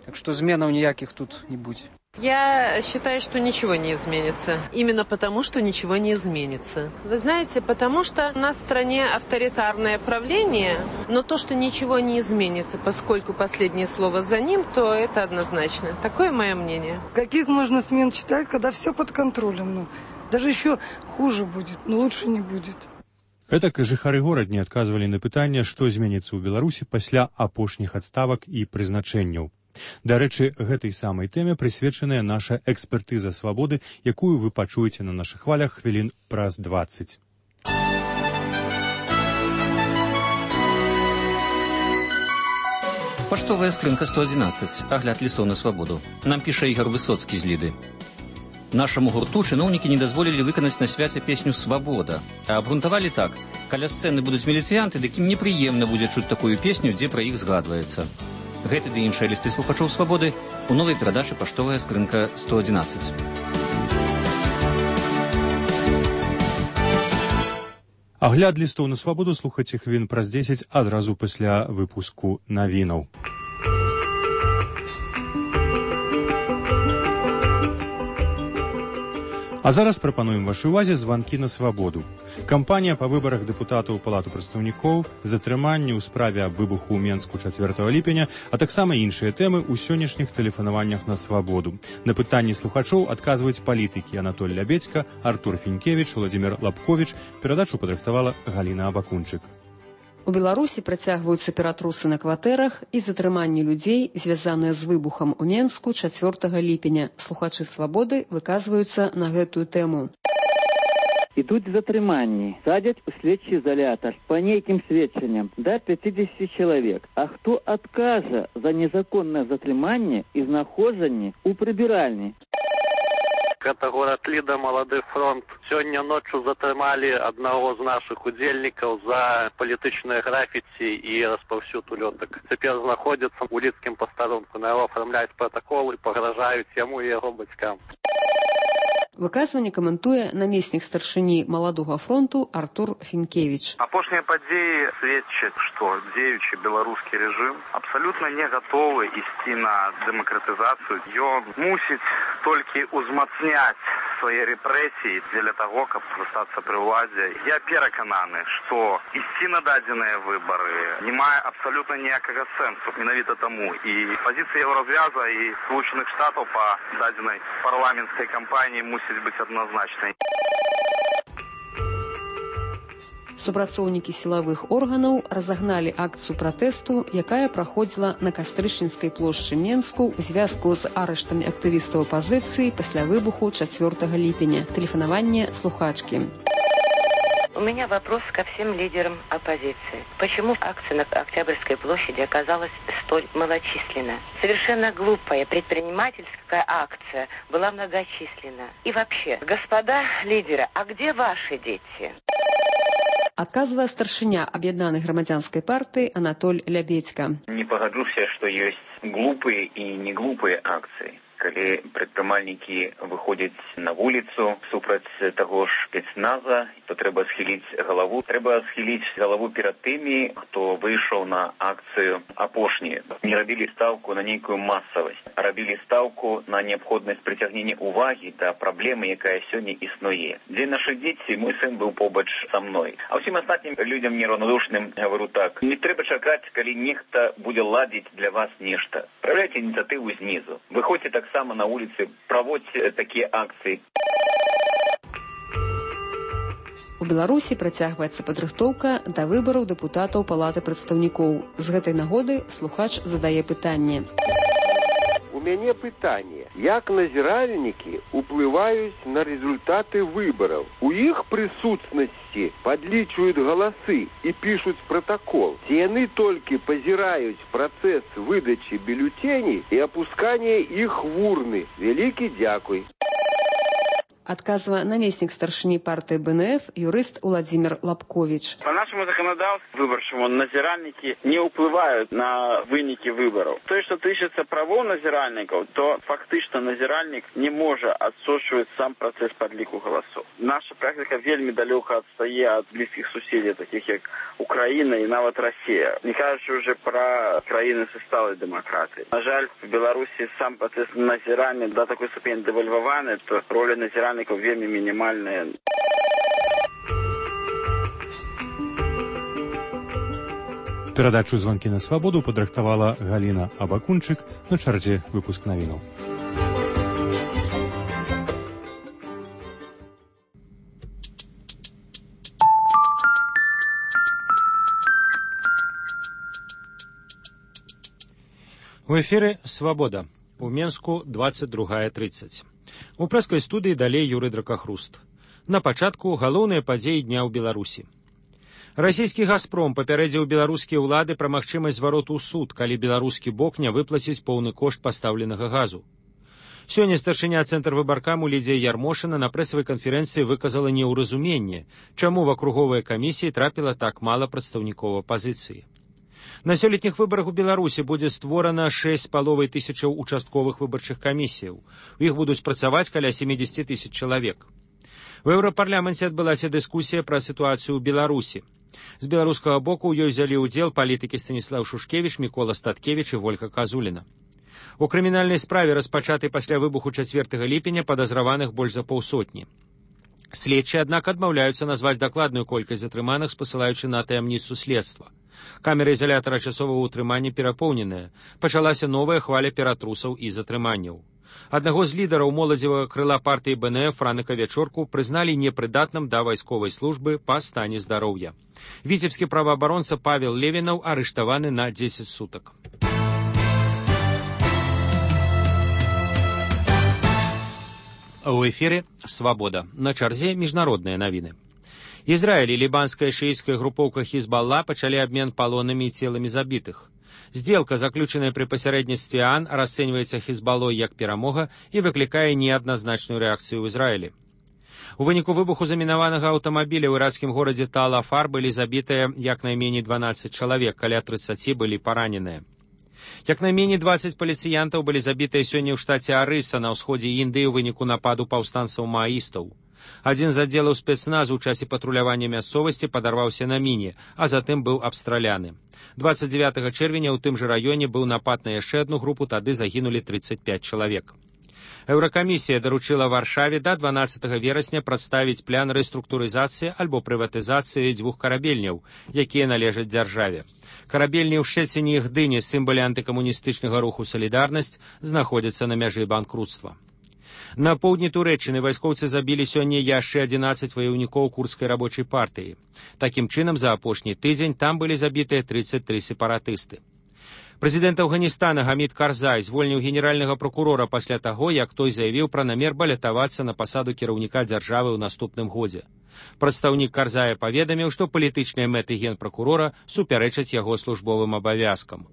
Так што зменаў ніякіх тут не будзе. Я считаю, что ничего не изменится. Именно потому, что ничего не изменится. Вы знаете, потому что у нас в стране авторитарное правление, но то, что ничего не изменится, поскольку последнее слово за ним, то это однозначно. Такое мое мнение. Каких можно смен читать, когда все под контролем? Даже еще хуже будет, но лучше не будет. Гэтак жыхары горад не адказвалі на пытанне, што зменіцца ў Беларусі пасля апошніх адставак і прызначэнняў. Дарэчы, гэтай самай тэме прысвечаная наша экспертыза свабоды, якую вы пачуеце на нашых хвалях хвілін праз 20. Паштовая скрынка 111. Агляд лістоў на свабоду. Нам піша Ігор Высоцкі з Ліды. Нашаму гурту чыноўнікі не дазволілі выканаць на свяце песню «Свабода». А абгрунтавалі так. Каля сцэны будуць міліцыянты, дык ім непрыемна будзе чуць такую песню, дзе пра іх згадваецца. Гэты ды іншыя лісты слухачоў свабоды у новай перадачы «Паштовая скрынка 111». Агляд лістоў на свабоду слухайце хвілін праз 10 адразу пасля выпуску навінаў. А зараз прапануем вашай увазе званкі на свабоду. Кампанія па выбарах дэпутатаў у Палату прадстаўнікоў, затрыманні ў справе аб выбуху ў Менску 4 ліпеня, а таксама іншыя тэмы ў сённяшніх тэлефанаваннях на свабоду. На пытанні слухачоў адказваюць палітыкі Анатоль Лябедзька, Артур Фінкевіч, Владзімір Лапковіч. Перадачу падрыхтавала Галіна Абакунчык. У Беларусі працягваюцца ператрусы на кватэрах і затрыманні людзей, звязаныя з выбухам у Менску 4 ліпеня. Слухачы свабоды выказваюцца на гэтую тэму. Ідуць затрыманні, садзяць у следчы изолятор по нейкім сведчанням до 50 чалавек. А хто адкажа за незаконнае затрыманне і знаходжанне ў прыбіральні? Это город Лида, Молодой фронт. Сегодня ночью затрымали одного из наших удельников за политичное граффити и распаўсюд улеток. Теперь находится в Улицким постарунку. На его оформляют протокол и погрожают ему и его батькам. Выказванне каментуе намеснік старшыні Маладога фронту Артур Фінкевіч. Апошнія падзеі сведчаць, што дзеючы беларускі рэжым абсалютна не гатовы ісці на дэмакратызацыю. Ён мусіць толькі ўзмацняць свае рэпрэсіі дзеля таго, каб застацца пры ўладзе. Я перакананы, што ісці на дадзеныя выбары не мае абсалютна ніякага сэнсу. Менавіта таму і пазіцыя Еўразвяза і Сполучаных Штатаў па дадзенай парламенцкай кампаніі мусіць быць адназначнай. Супрацоўнікі сілавых органаў разагналі акцыю пратэсту, якая праходзіла на Кастрычніцкай плошчы Менску ў звязку з арыштамі актывістаў апазіцыі пасля выбуху 4 ліпеня. Тэлефанаванне слухачкі. У меня вопрос ко всем лидерам оппозиции. Почему акция на Октябрьской площади оказалась столь малочисленна? Совершенно глупая предпринимательская акция была многочисленна. И вообще, господа лидеры, а где ваши дети? Адказвае старшыня аб'яднанай грамадзянскай партыі Анатоль Лябедзька. Не пагаджуся, што ёсць глупыя і не глупыя акцыі. Калі прадпрымальнікі выходзяць на вуліцу супраць таго ж спецназа, то трэба схіліць галаву. Трэба схіліць галаву перад тымі, хто выйшаў на акцыю апошнюю. Не рабілі стаўку на нейкую масавасць, а рабілі стаўку на неабходнасць прыцягнення ўвагі да праблемы, якая сёння існуе. Дзе нашы дзеці, мой сын быў побач са мной. А ўсім астатнім людзям нераўнадушным гавару так. Не трэба чакаць, калі нехта будзе ладзіць для вас нешта. Праяўляйце ініцыятыву знізу. Выходзьце так само на улице, проводьте такие акции. У Беларусі працягваецца падрыхтоўка да выбараў дэпутатаў Палаты прадстаўнікоў. З гэтай нагоды слухач задае пытанне. У мяне пытанне. Як назіральнікі уплываюць на результаты выбараў? У іх прысутнасці падлічваюць галасы і пішуць протакол. Ці яны толькі пазіраюць працэс выдачы бюлетеней і апускання іх в урны? Вялікі дзякуй. адказвае намеснік старшыні партыі БНФ юрыст Владимир Лапкович. По нашему законодательству выборчему назиральники не уплывают на выники выборов. То, что тычется правов назиральников, то фактично назиральник не может отсочивать сам процесс подлику голосов. Наша практика вельми далеко отстає от близких сусідів, таких як Україна і навіть Росія. Не кажучи вже про країни зі сталої демократії. На жаль, в Білорусі сам процес назирання до такої ступені девальвований, то роль назиральників вельми мінімальна. Перадачу «Звонки на свабоду» падрыхтавала Галіна Абакунчык, на чарзе выпуск навінаў. У эфіры «Свабода». У Менску 22:30. У прэскай студыі далей Юрый Дракахруст. На пачатку галоўныя падзеі дня ў Беларусі. Расійскі «Газпром» папярэдзіў беларускія ўлады пра магчымасць звароту ў суд, калі беларускі бок не выплаціць поўны кошт пастаўленага газу. Сёння старшыня цэнтрвыбаркаму Лідзія Ярмошына на прэсавай канферэнцыі выказала неўразуменне, чаму в акруговыя камісіі трапіла так мала прадстаўнікоў апазіцыі. На сёлетніх выбарах у Беларусі будзе створана 6,5 тысячаў участковых выбарчых камісіяў. У іх будуць працаваць каля 70 тысяч чалавек. У Еўрапарламенце адбылася дыскусія пра сітуацыю ў Беларусі. З беларускага боку ў ёй взялі ўдзел палітыкі Станіслаў Шушкевіч, Мікола Статкевіч і Вольга Казуліна. У крымінальнай справе, распачатай пасля выбуху 4 ліпеня, падазраваных больш за паўсотні. Следчыя, аднак, адмаўляюцца назваць дакладную колькасць затрыманых, спасылаючы на таямніцу следства. Камеры ізалятара часовага ўтрымання перапоўненая. Пачалася новая хваля ператрусаў і затрыманняў. Аднаго з лідараў моладзевага крыла партыі БНФ Франыка Вячорку прызналі непрыдатным да вайсковай службы па стане здароўя. Віцебскі праваабаронца Павел Левінаў арыштаваны на 10 сутак. У эфіры «Свабода». На чарзе міжнародныя навіны. Ізраіль і лібанская шыіцкая групоўка Хізбалла пачалі абмен палонамі і целамі забітых. Здзелка, заключаная пры пасярэдніцтве ААН, расцэньваецца Хізбаллой як перамога і выклікае неадназначную рэакцыю ў Ізраілі. У выніку выбуху замінаванага аўтамабіля ў іракскім горадзе Тал-Афар былі забітыя як найменей 12 чалавек, каля 30 былі параненыя. Як найменей 20 паліцыянтаў былі забітыя сёння ў штаце Арыса на ўсходзе Індыі ў выніку нападу паўстанцаў-мааістаў. Адзін з аддзелаў спецназу ў часе патрулявання мясцовасці падарваўся на міне, а затым быў абстраляны. 29 чэрвеня ў тым жа раёне быў напад на яшчэ адну групу, тады загінулі 35 чалавек. Еўракамісія даручыла Варшаве да 12 верасня прадставіць план рэструктурызацыі альбо прыватызацыі 2 карабельняў, якія належаць дзяржаве. Карабельні ў Шчэцине і Гдыні, сімвалы антыкамуністычнага руху «Салідарнасць», знаходзяцца на мяжы банкруцтва. На поўдні Турэччыны вайскоўцы забілі сёння яшчэ 11 ваяўнікоў курдскай рабочай партыі. Такім чынам, за апошні тыдзень там былі забітыя 33 сепаратысты. Прэзідэнт Афганістана Гамід Карзай звольніў генеральнага прокурора пасля таго, як той заявіў пра намер балятавацца на пасаду кіраўніка дзяржавы ў наступным годзе. Прадстаўнік Карзая паведаміў, што палітычныя мэты генпракурора супярэчаць яго службовым абавязкам.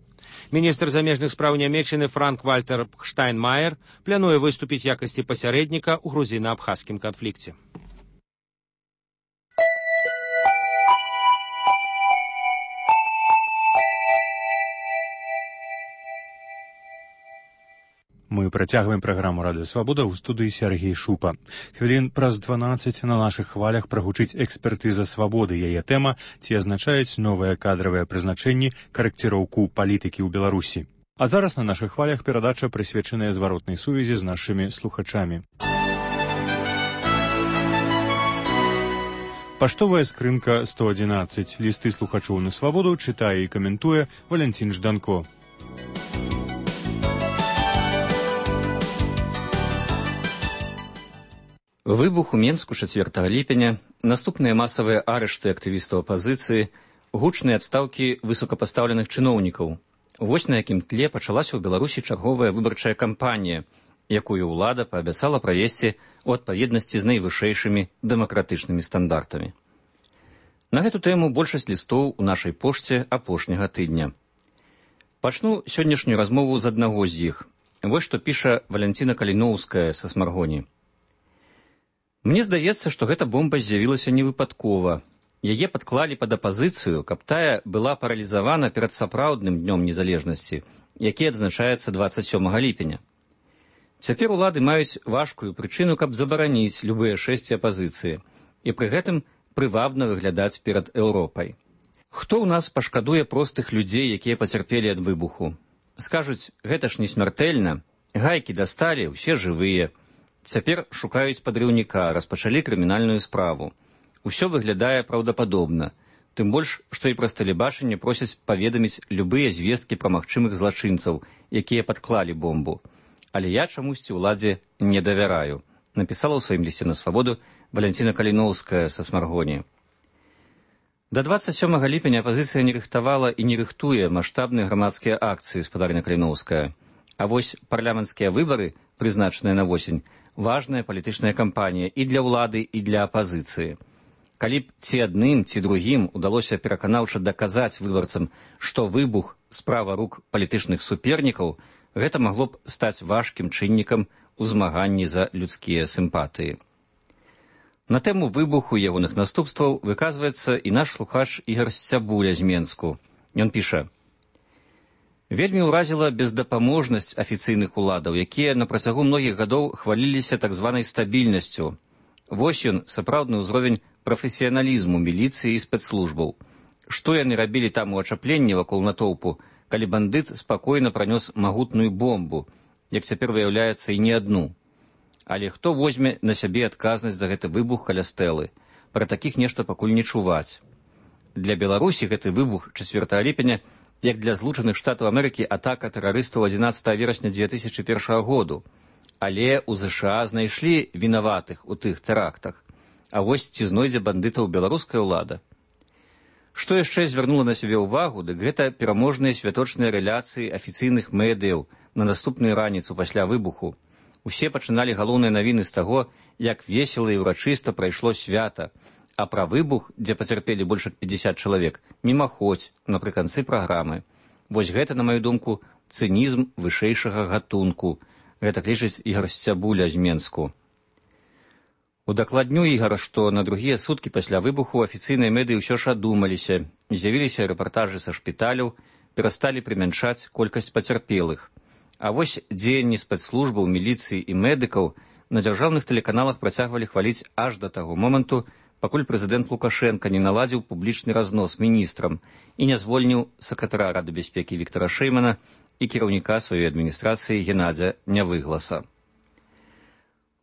Міністр замежных спраў Нямецчыны Франк-Вальтер Штайнмаер плануе выступіць в якасці пасярэдніка ў грузіна-абхазскім канфлікце. Мы працягваем праграму «Радыё Свабода» ў студыі Сергей Шупа. Хвілін праз 12 на нашых хвалях прагучыць экспертыза свабоды. Яе тэма «Ці азначаюць новыя кадравыя прызначэнні карэкціроўку палітыкі ў Беларусі». А зараз на нашых хвалях перадача прысвечаная зваротнай сувязі з нашымі слухачамі. Паштовая скрынка 111. Лісты слухачоў на свабоду чытае і каментуе Валянцін Жданко. Выбух у Менску 4 ліпеня, наступныя масавыя арышты актывістаў апазіцыі, гучныя адстаўкі высокапастаўленых чыноўнікаў. Вось на якім тле пачалася ў Беларусі чарговая выбарчая кампанія, якую ўлада паабяцала правесці ў адпаведнасці з найвышэйшымі дэмакратычнымі стандартамі. На гэту тэму большасць лістоў у нашай пошце апошняга тыдня. Пачну сённяшнюю размову з аднаго з іх. Вось што піша Валянціна Каліноўская са Смаргоні. Мне здаецца, што гэта бомба з'явілася невыпадкова. Яе падклалі пад апазіцыю, каб тая была паралізавана перад сапраўдным днём незалежнасці, які адзначаецца 27 ліпеня. Цяпер улады маюць важкую прычыну, каб забараніць любыя шэсці апазіцыі і пры гэтым прывабна выглядаць перад Еўропай. Хто ў нас пашкадуе простых людзей, якія пацярпелі ад выбуху? Скажуць, гэта ж не смяртэльна, гайкі дасталі, усе жывыя. Цяпер шукаюць падрыўніка, распачалі крымінальную справу. Усё выглядае праўдападобна, тым больш, што і праз тэлебачанне просяць паведаміць любыя звесткі пра магчымых злачынцаў, якія падклалі бомбу. Але я чамусьці ўладзе не давяраю, напісала ў сваім лісце на свабоду Валянціна Каліноўская са Смаргоні. Да 27 ліпеня апазіцыя не рыхтавала і не рыхтуе маштабныя грамадскія акцыі, спадарня Каліноўская. А вось парламенцкія выбары, прызначаныя на восень, важная палітычная кампанія і для ўлады, і для апазіцыі. Калі б ці адным, ці другім удалося пераканаўча даказаць выбарцам, што выбух – справа рук палітычных супернікаў, гэта магло б стаць важкім чыннікам у змаганні за людскія сімпатыі. На тэму выбуху ягоных наступстваў выказваецца і наш слухач Ігар Сцябуля з Менску. Ён піша: «Вельмі ўразіла бездапаможнасць афіцыйных уладаў, якія на працягу многіх гадоў хваліліся так званай стабільнасцю. Вось ён, сапраўдны ўзровень прафесіяналізму міліцыі і спецслужбаў. Што яны рабілі там у ачапленні вакол натоўпу, калі бандыт спакойна пранёс магутную бомбу, як цяпер выяўляецца і не адну. Але хто возьме на сябе адказнасць за гэты выбух каля стэлы? Пра такіх нешта пакуль не чуваць. Для Беларусі гэты выбух 4 ліпеня, як для Злучаных Штатаў Амерыкі атака тэрарыстаў 11 верасня 2001 году. Але ў ЗША знайшлі вінаватых у тых тэрактах. А вось ці знойдзе бандытаў беларуская ўлада? Што яшчэ звярнула на сябе ўвагу, дык гэта пераможныя святочныя рэляцыі афіцыйных медыяў на наступную раніцу пасля выбуху. Усе пачыналі галоўныя навіны з таго, як весела і ўрачыста прайшло свята, а пра выбух, дзе пацярпелі больш як 50 чалавек, мімаходзь напрыканцы праграмы. Вось гэта, на маю думку, цынізм вышэйшага гатунку. Гэта лічыць Ігар Сцябуля з Менску. Удакладню, Ігар, што на другія суткі пасля выбуху афіцыйныя медыі ўсё ж адумаліся, з'явіліся рэпартажы са шпіталяў, перасталі прымяншаць колькасць пацярпелых. А вось дзеянні спецслужбаў, міліцыі і медыкаў на дзяржаўных тэлеканалах працягвалі хваліць аж да таго моманту, пакуль прэзідэнт Лукашенка не наладзіў публічны разнос міністрам і не звольніў сакратара Рады бяспекі Віктара Шэймана і кіраўніка сваёй адміністрацыі Геннадзя Нявыгласа.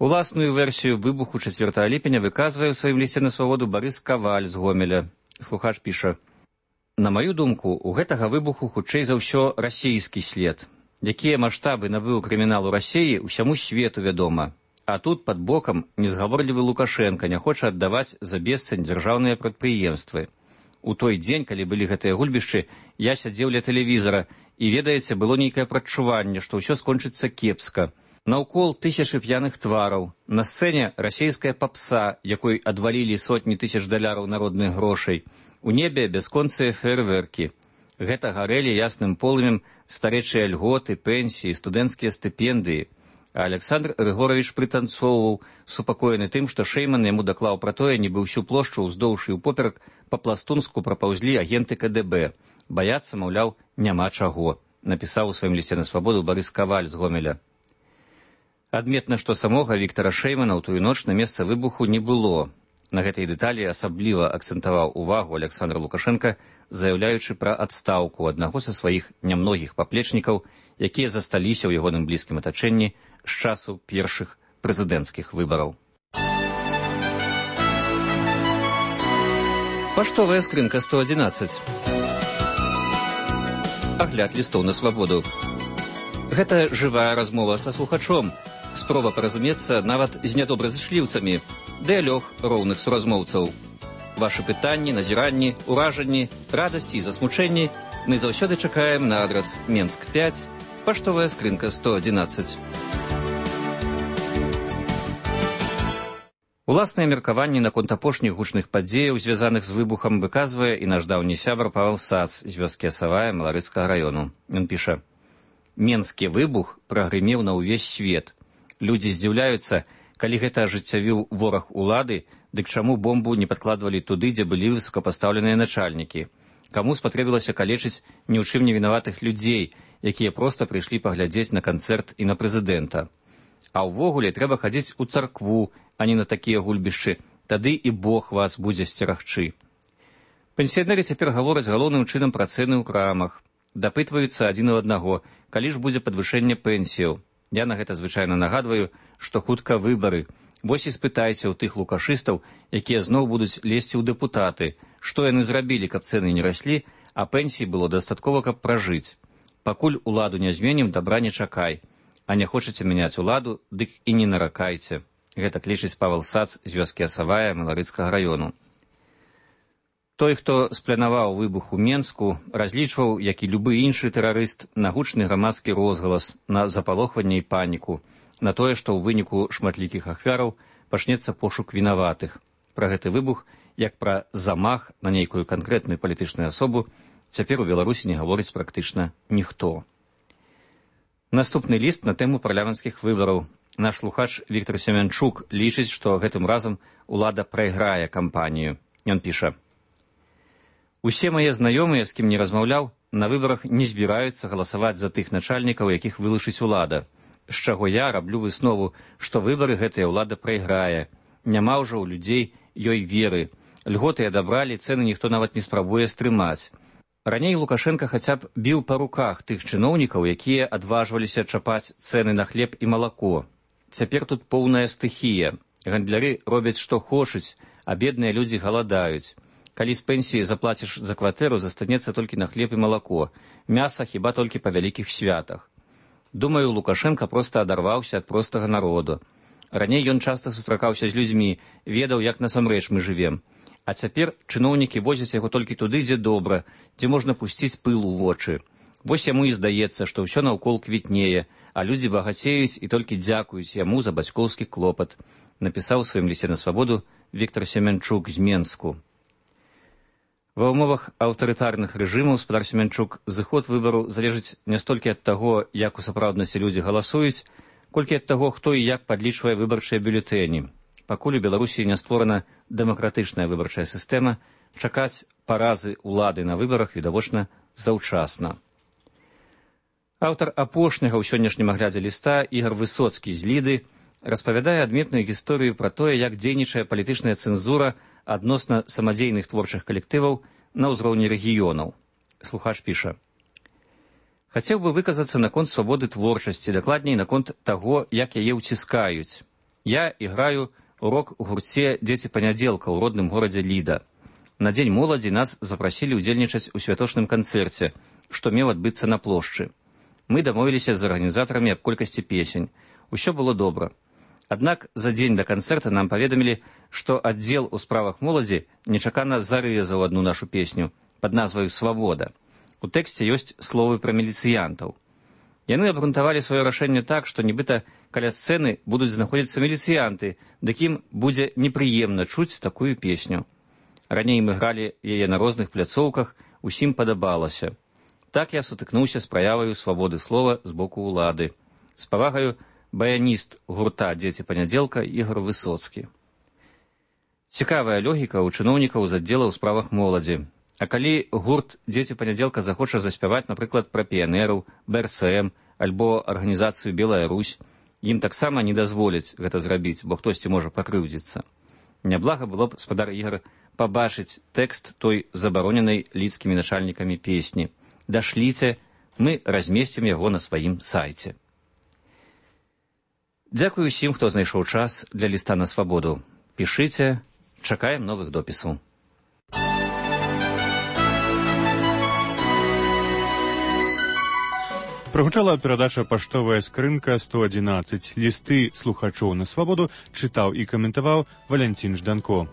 Уласную версію выбуху 4 ліпеня выказвае ў сваім лісце на свабоду Барыс Каваль з Гомеля. Слухач піша: «На маю думку, у гэтага выбуху хутчэй за ўсё расійскі след. Якія маштабы набыў крымінал у Расіі, усяму свету вядома. А тут пад бокам незгаворлівы Лукашенка не хоча аддаваць за бесцань дзяржаўныя прадпрыемствы. У той дзень, калі былі гэтыя гульбішчы, я сядзеў ля тэлевізара, і, ведаеце, было нейкае прадчуванне, што ўсё скончыцца кепска. Наўкол тысячы п'яных твараў, на сцэне расійская папса, якой адвалілі сотні тысяч даляраў народных грошай, у небе бясконцыя фейерверкі. Гэта гарэлі ясным полымем старэчыя льготы, пенсіі, студэнцкія стыпендыі. А Александр Рыгорович прытанцоўваў, супакоены тым, што Шэйман яму даклаў пра тое, нібы ўсю плошчу ўздоўж і ўпоперак па-пластунску прапаўзлі агенты КДБ. Баяцца, маўляў, няма чаго, напісаў у сваім лісце на свабоду Барыс Каваль з Гомеля. Адметна, што самога Віктара Шэймана ў тую ноч на месца выбуху не было. На гэтай дэталі асабліва акцэнтаваў увагу Александр Лукашенка, заяўляючы пра адстаўку аднаго са сваіх нямногіх паплечнікаў, якія засталіся ў ягоным блізкім атачэнні з часу першых прэзідэнцкіх выбараў. Паштовая скрынка 111. Агляд лістоў на свабоду. Гэта жывая размова са слухачом, спроба паразумецца нават з нядобразычліўцамі, дыялог роўных суразмоўцаў. Вашы пытанні, назіранні, уражанні, радасці і засмучэнні мы заўсёды чакаем на адрас Менск 5, паштовая скрынка 111. Уласнае меркаванне наконт апошніх гучных падзеяў, звязаных з выбухам, выказвае і наш даўні сябар Павел Сац з вёскі Асавая Маларыцкага раёну. Ён піша: «Менскі выбух прагрымеў на ўвесь свет. Людзі здзіўляюцца, Калі гэта ажыццявіў вораг улады, дык чаму бомбу не падкладвалі туды, дзе былі высокапастаўленыя начальнікі? Каму спатрэбілася калечыць ні ў чым не вінаватых людзей, якія проста прыйшлі паглядзець на канцэрт і на прэзідэнта? А ўвогуле трэба хадзіць у царкву, а не на такія гульбішчы, тады і Бог вас будзе сцерагчы. Пенсіянеры цяпер гавораць галоўным чынам пра цэны ў крамах. Дапытваюцца адзін у аднаго, калі ж будзе падвышэнне пенсіяў. Я на гэта звычайна нагадваю, што хутка выбары. Вось і спытайся ў тых лукашыстаў, якія зноў будуць лезці ў дэпутаты, што яны зрабілі, каб цэны не раслі, а пенсій было дастаткова, каб пражыць. Пакуль уладу не зменім, дабра не чакай. А не хочаце мяняць уладу, дык і не наракайце. Гэта клічыць Павел Сац з вёскі Асавая Маларыцкага раёну. Той, хто спланаваў выбух у Менску, разлічваў, як і любы іншы тэрарыст, на гучны грамадскі розгалас, на запалохванне і паніку, на тое, што ў выніку шматлікіх ахвяраў пачнецца пошук вінаватых. Пра гэты выбух, як пра замах на нейкую канкрэтную палітычную асобу, цяпер у Беларусі не гаворыць практычна ніхто. Наступны ліст на тэму парламенцкіх выбараў. Наш слухач Віктор Семянчук лічыць, што гэтым разам улада прайграе кампанію. Ён піша: «Усе мае знаёмыя, з кім не размаўляў, на выбарах не збіраюцца галасаваць за тых начальнікаў, якіх вылучыць улада. З чаго я раблю выснову, што выбары гэтая ўлада прайграе. Няма ўжо ў людзей ёй веры. Льготы адабралі, цэны ніхто нават не спрабуе стрымаць. Раней Лукашенка хаця б біў па руках тых чыноўнікаў, якія адважваліся чапаць цэны на хлеб і малако. Цяпер тут поўная стыхія. Гандляры робяць, што хочуць, а бедныя людзі галадаюць. Калі з пенсіі заплаціш за кватэру, застанецца толькі на хлеб і малако. Мяса хіба толькі па вялікіх святах. Думаю, Лукашенка проста адарваўся ад простага народу. Раней ён часта сустракаўся з людзьмі, ведаў, як насамрэч мы жывем. А цяпер чыноўнікі возяць яго толькі туды, дзе добра, дзе можна пусціць пыл у вочы. Вось яму і здаецца, што ўсё наўкол квітнее, а людзі багацеюць і толькі дзякуюць яму за бацькоўскі клопат, напісаў у сваім лісце на свабоду Віктор Семянчук з Менску. Ва ўмовах аўтарытарных рэжымаў, спадар Семянчук, зыход выбару залежыць не столькі ад таго, як у сапраўднасці людзі галасуюць, колькі ад таго, хто і як падлічвае выбарчыя бюлетэні. Пакуль у Беларусі не створана дэмакратычная выбарчая сістэма, чакаць паразы ўлады на выбарах відавочна заўчасна. Аўтар апошняга ў сённяшнім аглядзе ліста Ігар Высоцкі з Ліды распавядае адметную гісторыю пра тое, як дзейнічае палітычная цэнзура адносна самадзейных творчых калектываў на ўзроўні рэгіёнаў. Слухач піша: «Хацеў бы выказацца наконт свабоды творчасці, дакладней наконт таго, як яе ўціскаюць. Я іграю у рок-гурце «Дзеці панядзелка» ў родным горадзе Ліда. На дзень моладзі нас запрасілі ўдзельнічаць у святочным канцэрце, што меў адбыцца на плошчы. Мы дамовіліся з арганізатарамі аб колькасці песень. Усё было добра. Аднак за дзень да канцэрта нам паведамілі, што аддзел у справах моладзі нечакана зарэзаў адну нашу песню пад назваю «Свабода». У тэксце ёсць словы пра міліцыянтаў. Яны абгрунтавалі сваё рашэнне так, што нібыта каля сцэны будуць знаходзіцца міліцыянты, дык ім будзе непрыемна чуць такую песню. Раней мы гралі яе на розных пляцоўках, усім падабалася. Так я сутыкнуўся з праяваю свабоды слова з боку ўлады. З павагаю, баяніст гурта «Дзеці панядзелка» Ігар Высоцкі». Цікавая логіка ў чыноўнікаў з аддзела ў справах моладзі. А калі гурт «Дзеці панядзелка» захоча заспяваць, напрыклад, пра піянераў, БРСМ альбо арганізацыю «Белая Русь», ім таксама не дазволяць гэта зрабіць, бо хтосьці можа пакрыўдзіцца. Няблага было б, спадар Ігар, пабачыць тэкст той забароненай лідскімі начальнікамі песні. Дашліце, мы размесцім яго на сваім сайце. Дзякую усім, хто знайшоў час для ліста на свабоду. Пішыце, чакаем новых допісаў. Прагучала перадача «Паштовая скрынка 111». Лісты слухачоў на свабоду чытаў і каментаваў Валянцін Жданко.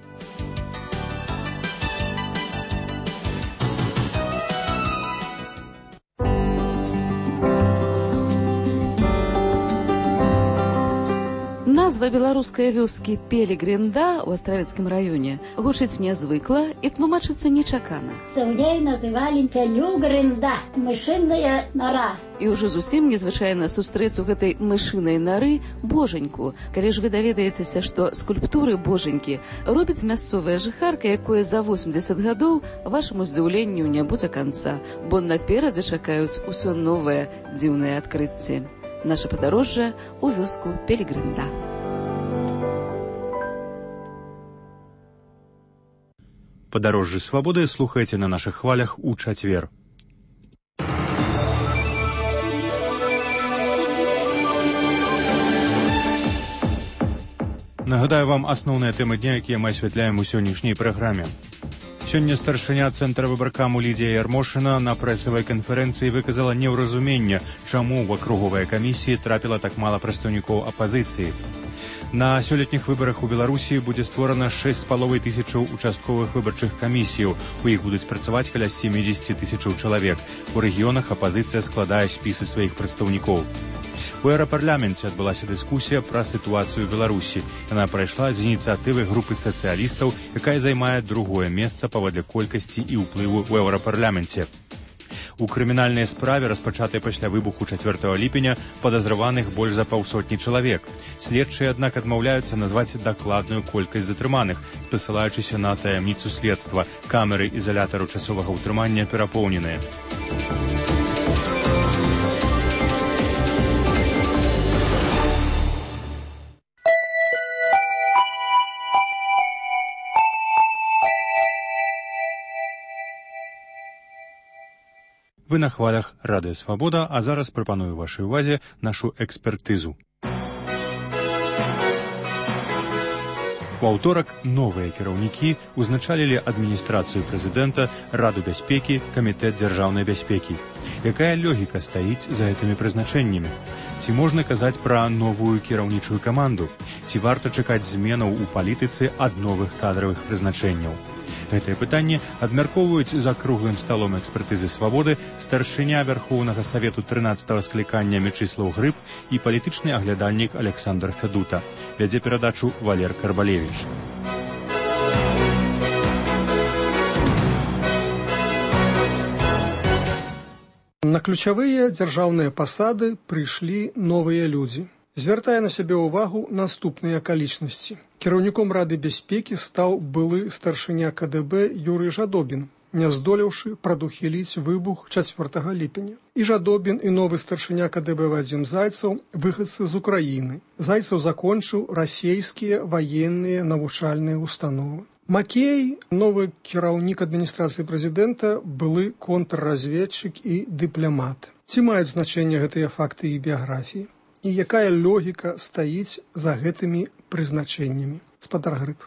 Нас Назва беларускай вёскі Пелегринда ў Астравецкім раёне гучыць нязвыкла і тлумачыцца нечакана. Даўней называлі Пелегринда, мышыная нара. І ўжо зусім незвычайна сустрэць у гэтай мышынай нары божаньку. Калі ж вы даведаецеся, што скульптуры божанькі робіць мясцовая жыхарка, якое за 80 гадоў, вашаму здзіўленню не будзе канца, бо наперадзе чакаюць усё новае дзіўнае адкрыцці. Наша падарожжа ў вёску Пелегринда. Падарожжы свабоды слухайце на нашых хвалях у чацвер. Нагадаю вам асноўныя тэмы дня, якія мы асвятляем у сённяшняй праграме. Сёння старшыня цэнтра выбаркаму Лідія Ярмошына на прэсавай канферэнцыі выказала неўразуменне, чаму ў акруговай камісіі трапіла так мала прадстаўнікоў апазіцыі. На сёлетніх выбарах у Беларусі будзе створана 6,5 тысячаў участковых выбарчых камісіяў. У іх будуць працаваць каля 70 тысячаў чалавек. У рэгіёнах апазіцыя складае спісы сваіх прадстаўнікоў. У еўрапарламенце адбылася дыскусія пра сітуацыю ў Беларусі. Яна прайшла з ініцыятывы групы сацыялістаў, якая займае другое месца паводле колькасці і ўплыву ў еўрапарламенце. У крымінальнай справе, распачатай пасля выбуху 4 ліпеня, падазраваных больш за паўсотні чалавек. Следчыя, аднак, адмаўляюцца назваць дакладную колькасць затрыманых, спасылаючыся на таямніцу следства. Камеры ізалятару часовага ўтрымання перапоўненыя. Вы на хвалях Радыё Свабода, а зараз прапаную вашай увазе нашу экспертызу. У аўторак новыя кіраўнікі узначалілі адміністрацыю прэзідэнта, Раду бяспекі, Камітэт дзяржаўнай бяспекі. Якая логіка стаіць за гэтымі прызначэннямі? Ці можна казаць пра новую кіраўнічую каманду? Ці варта чакаць зменаў у палітыцы ад новых кадравых прызначэнняў? Гэтае пытанне абмяркоўваюць за круглым сталом экспертызы свабоды старшыня Вярхоўнага Савету 13-го склікання Мячыслаў Грыб і палітычны аглядальнік Александр Федута. Вядзе перадачу Валер Карбалевіч. На ключавыя дзяржаўныя пасады прыйшлі новыя людзі. Звяртае на сябе ўвагу наступныя акалічнасці. Кіраўніком Рады бяспекі стаў былы старшыня КДБ Юрый Жадобін, не здолеўшы прадухіліць выбух 4 ліпеня. І Жадобін, і новы старшыня КДБ Вадзім Зайцаў выхадцы з Украіны. Зайцаў закончыў расейскія ваенныя навучальныя установы. Макей, новы кіраўнік адміністрацыі прэзідэнта, былы контрразведчык і дыпламат. Ці маюць значэнне гэтыя факты і біяграфіі? І якая логіка стаіць за гэтымі прызначэннямі? Спадар Грыб.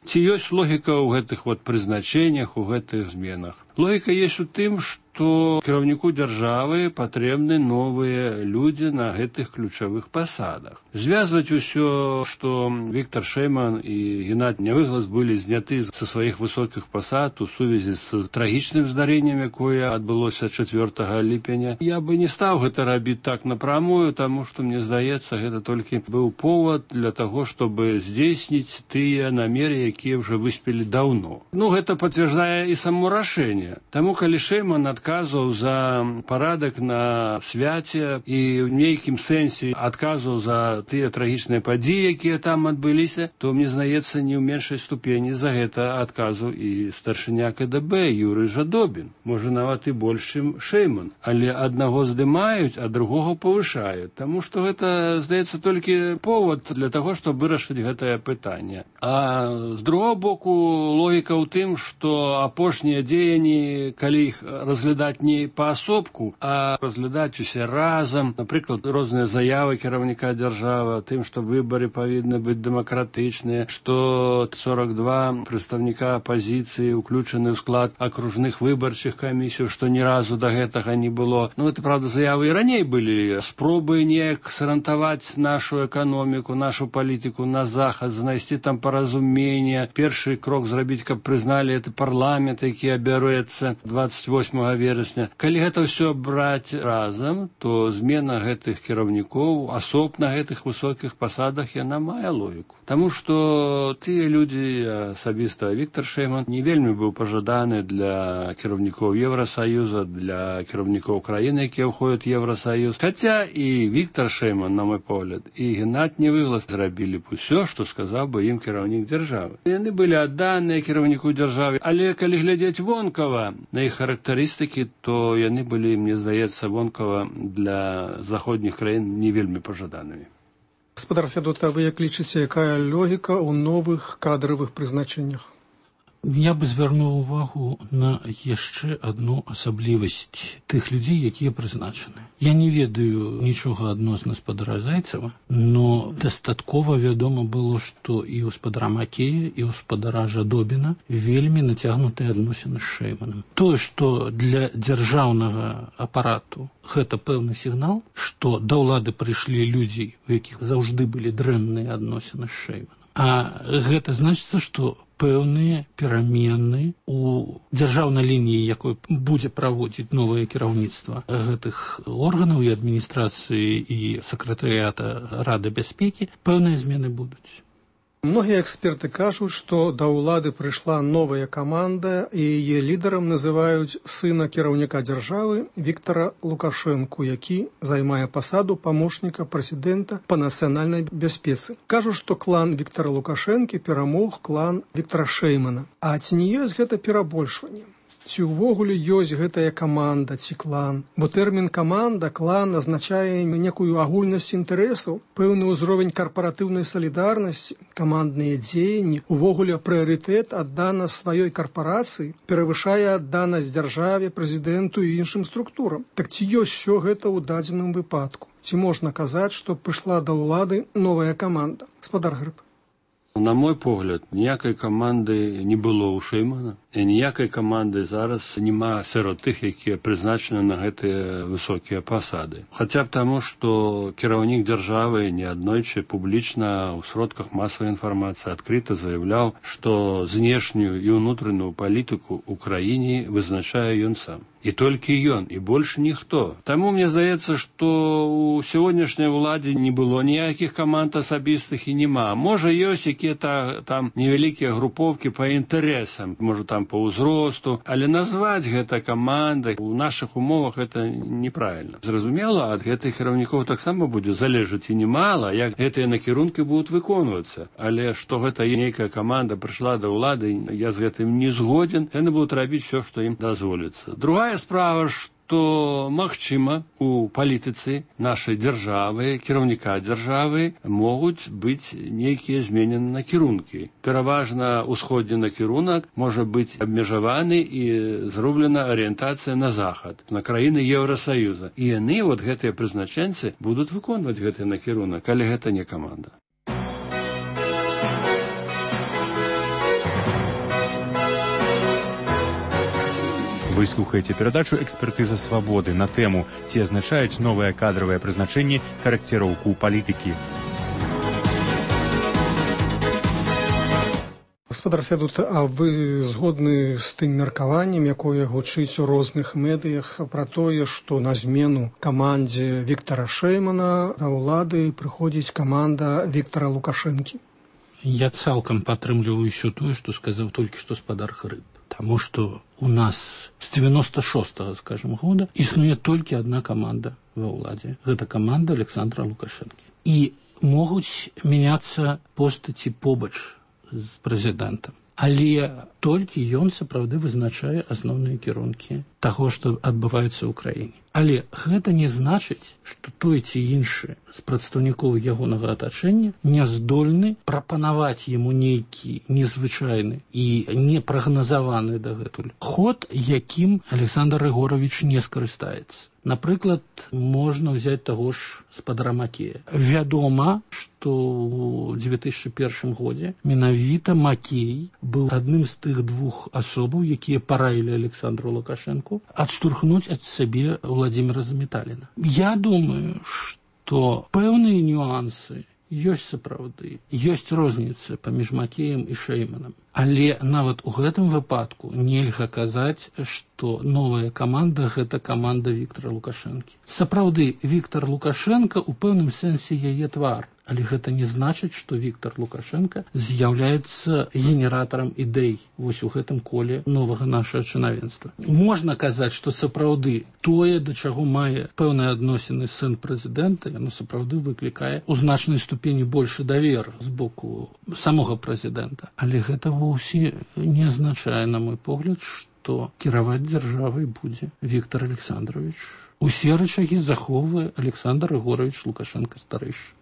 Ці ёсць логіка ў гэтых прызначэннях, у гэтых зменах? Логіка ёсць у тым, што кіраўніку дзяржавы патрэбны новыя людзі на гэтых ключавых пасадах. Звязваць усё, што Віктор Шэйман і Геннадзь Нявыглас былі зняты са сваіх высокіх пасад у сувязі з трагічным здарэннем, якое адбылося 4 ліпеня. Я бы не стаў гэта рабіць так напрамую, таму што, мне здаецца, гэта толькі быў повод для таго, чтобы здзейсніць тыя намеры, якія ўжо выспелі даўно. Гэта пацвярджае і само рашэнне. Таму, калі Шэйман адказваў за парадак на свяце і ў нейкім сэнсе адказваў за тыя трагічныя падзеі, якія там адбыліся, то, мне здаецца, не ў меншай ступені за гэта адказваў і старшыня КДБ Юрый Жадобін. Можа, нават і больш, чым Шэйман. Але аднаго здымаюць, а другога павышаюць. Таму што гэта, здаецца, толькі повод для таго, щоб вырашыць гэтае пытанне. А з другого боку, логіка ў тым, што апошнія дзеянні, калі іх разглядаць не паасобку, а разглядаць усе разам, напрыклад, розныя заявы кіраўніка дзяржавы, тым, што выбары павінны быць дэмакратычныя, што 42 прадстаўніка апазіцыі уключаны ў склад акружных выбарчых камісій, што ні разу да гэтага не было. Это, правда, заявы і раней былі. Спробы неяк сарантаваць нашу эканоміку, нашу палітыку на захад, знайсці там паразуменне. Першы крок зрабіць, каб прызналі гэты парламент, які абярэцца 28 верасня. Калі гэта ўсё браць разам, то змена гэтых кіраўнікоў асоб на гэтых высокіх пасадах яна мае логіку. Таму што тыя людзі, асабіста Віктор Шэйман, не вельмі быў пажаданы для кіраўнікоў Евросаюза, для кіраўнікоў краіны, якія ўходзяць у Евросаюз. Хаця і Віктор Шэйман, на мой погляд, і Геннадзь Невыглас зрабілі б усё, што сказаў бы ім кіраўнік дзяржавы. Яны былі адданыя кіраўніку дзяржавы, але калі глядзець вонкава на іх характарыстыкі, то яны былі, мне здаецца, вонкава для заходніх краін не вельмі пажаданымі. Гаспадар Фядот, а вы як лічыце, якая логіка ў новых кадравых прызначэннях? Я бы звярнуў увагу на яшчэ адну асаблівасць тых людзей, якія прызначаны. Я не ведаю нічога адносна спадара Зайцева, но дастаткова вядома было, што і ў спадара Макея, і ў спадара Жадобіна вельмі нацягнутыя адносіны з Шэйманам. Тое, што для дзяржаўнага апарату гэта пэўны сігнал, што да ўлады прыйшлі людзі, у якіх заўжды былі дрэнныя адносіны з Шэйманам. А гэта значыцца, што пэўныя перамены у дзяржаўнай лініі, якой будзе праводзіць новае кіраўніцтва гэтых органаў і адміністрацыі і сакратарыята Рады бяспекі, пэўныя змены будуць. Многія эксперты кажуць, што да ўлады прыйшла новая каманда, і яе лідарам называюць сына кіраўніка дзяржавы Віктара Лукашэнку, які займае пасаду памочніка прэзідэнта па нацыянальнай бяспецы. Кажуць, што клан Віктара Лукашэнкі перамог клан Віктара Шэймана. А ці не ёсць гэта перабольшванне? Ці ўвогуле ёсць гэтая каманда ці клан? Бо тэрмін каманда, клан азначае некую агульнасць інтарэсаў, пэўны ўзровень карпаратыўнай салідарнасці, камандныя дзеянні, увогуле прыярытэт аддана сваёй карпарацыі перавышае адданасць дзяржаве, прэзідэнту і іншым структурам. Так ці ёсць усё гэта ў дадзеным выпадку? Ці можна казаць, што прыйшла да ўлады новая каманда? Гаспадар Грыб. На мой погляд, ніякай каманды не было ў Шэймана, і ніякай каманды зараз няма сярод тых, якія прызначаны на гэтыя высокія пасады. Хаця б таму, што кіраўнік дзяржавы неаднойчы публічна ў сродках масавай інфармацыі адкрыта заяўляў, што знешнюю і ўнутраную палітыку ў краіне вызначае ён сам. І толькі ён, і больш ніхто. Таму мне здаецца, што ў сённяшняй уладзе не было ніякіх каманд асабістых і няма. Можа, ёсць якія-то там невялікія групоўкі па інтарэсам, можа, там па ўзросту, але назваць гэта камандай у нашых умовах гэта неправільна. Зразумела, ад гэтых кіраўнікоў таксама будзе залежаць і немала, як гэтыя накірункі будуць выконвацца. Але што гэта нейкая каманда прыйшла да ўлады, я з гэтым не згоден, яны будуць рабіць все, што ім дазволіцца. Другая справа, што магчыма у палітыцы нашай дзяржавы, кіраўніка дзяржавы могуць быць нейкія зменены накірункі. Пераважна ўсходні накірунак можа быць абмежаваны і зроблена арыентацыя на захад, на краіны Еўрасаюза. І яны, гэтыя прызначэнцы, будуць выконваць гэты накірунак, але гэта не каманда. Вы слухаеце перадачу «Экспертыза свабоды» на тэму «Ці азначаюць новыя кадравыя прызначэнні карэкціроўку палітыкі». Гаспадар Фядот, а вы згодны з тым меркаваннем, якое гучыць у розных медыях пра тое, што на змену камандзе Віктара Шэймана да ўлады прыходзіць каманда Віктара Лукашэнкі? Я цалкам падтрымліваю ўсё тое, што сказаў толькі што спадар Грыб. Таму што у нас з 96-го, скажем, года існуе толькі адна каманда ва ўладзе. Гэта каманда Александра Лукашэнкі. І могуць мяняцца постаці побач з прэзідэнтам. Але толькі ён сапраўды вызначае асноўныя кірункі таго, што адбываецца ў краіне. Але гэта не значыць, што той ці іншы з прадстаўнікоў ягонага атачэння не здольны прапанаваць яму нейкі незвычайны і непрагназаваны дагэтуль ход, якім Александр Рыгорович не скарыстаецца. Напрыклад, можна ўзяць таго ж спадара Макея. Вядома, што ў 2001 годзе менавіта Макей быў адным з тых двух асобаў, якія параілі Александру Лукашэнку адштурхнуць ад сябе Владимира Заметаліна. Я думаю, што пэўныя нюансы ёсць сапраўды. Ёсць розніца паміж Макеем і Шэйманам. Але нават у гэтым выпадку нельга казаць, што новая каманда – гэта каманда Віктора Лукашэнкі. Сапраўды, Віктор Лукашенко у пэўным сэнсе яе твар. Але гэта не значыць, што Віктор Лукашенко з'яўляецца генератарам ідэй вось у гэтым коле новага нашага чынавенства. Можна казаць, што сапраўды тое, да чаго мае пэўныя адносіны сын прэзідэнта, яно сапраўды выклікае у значнай ступені большы давер з боку самога прэзідэнта. Але гэта вовсе не азначае, на мой погляд, што кіраваць дзяржавай будзе Віктор Александрович. Усе рычагі захоўвае Александр Егорович Лукашенко-старэйшы.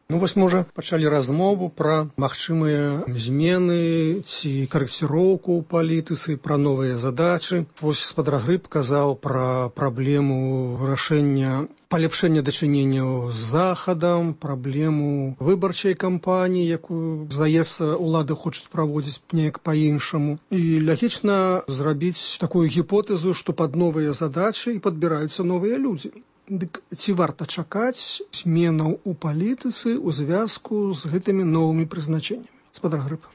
Ну вось мы ўжо пачалі размову пра магчымыя змены ці карэкціроўку ў палітыцы, пра новыя задачы. Вось спадар Грыб казаў пра праблему вырашэння палепшэння дачыненняў з захадам, праблему выбарчай кампаніі, якую, здаецца, улады хочуць праводзіць неяк па-іншаму. І лагічна зрабіць такую гіпотэзу, што пад новыя задачы і падбіраюцца новыя людзі. Дык ці варта чакаць зменаў у палітыцы ў звязку з гэтымі новымі прызначэннямі? Спадар Грыб.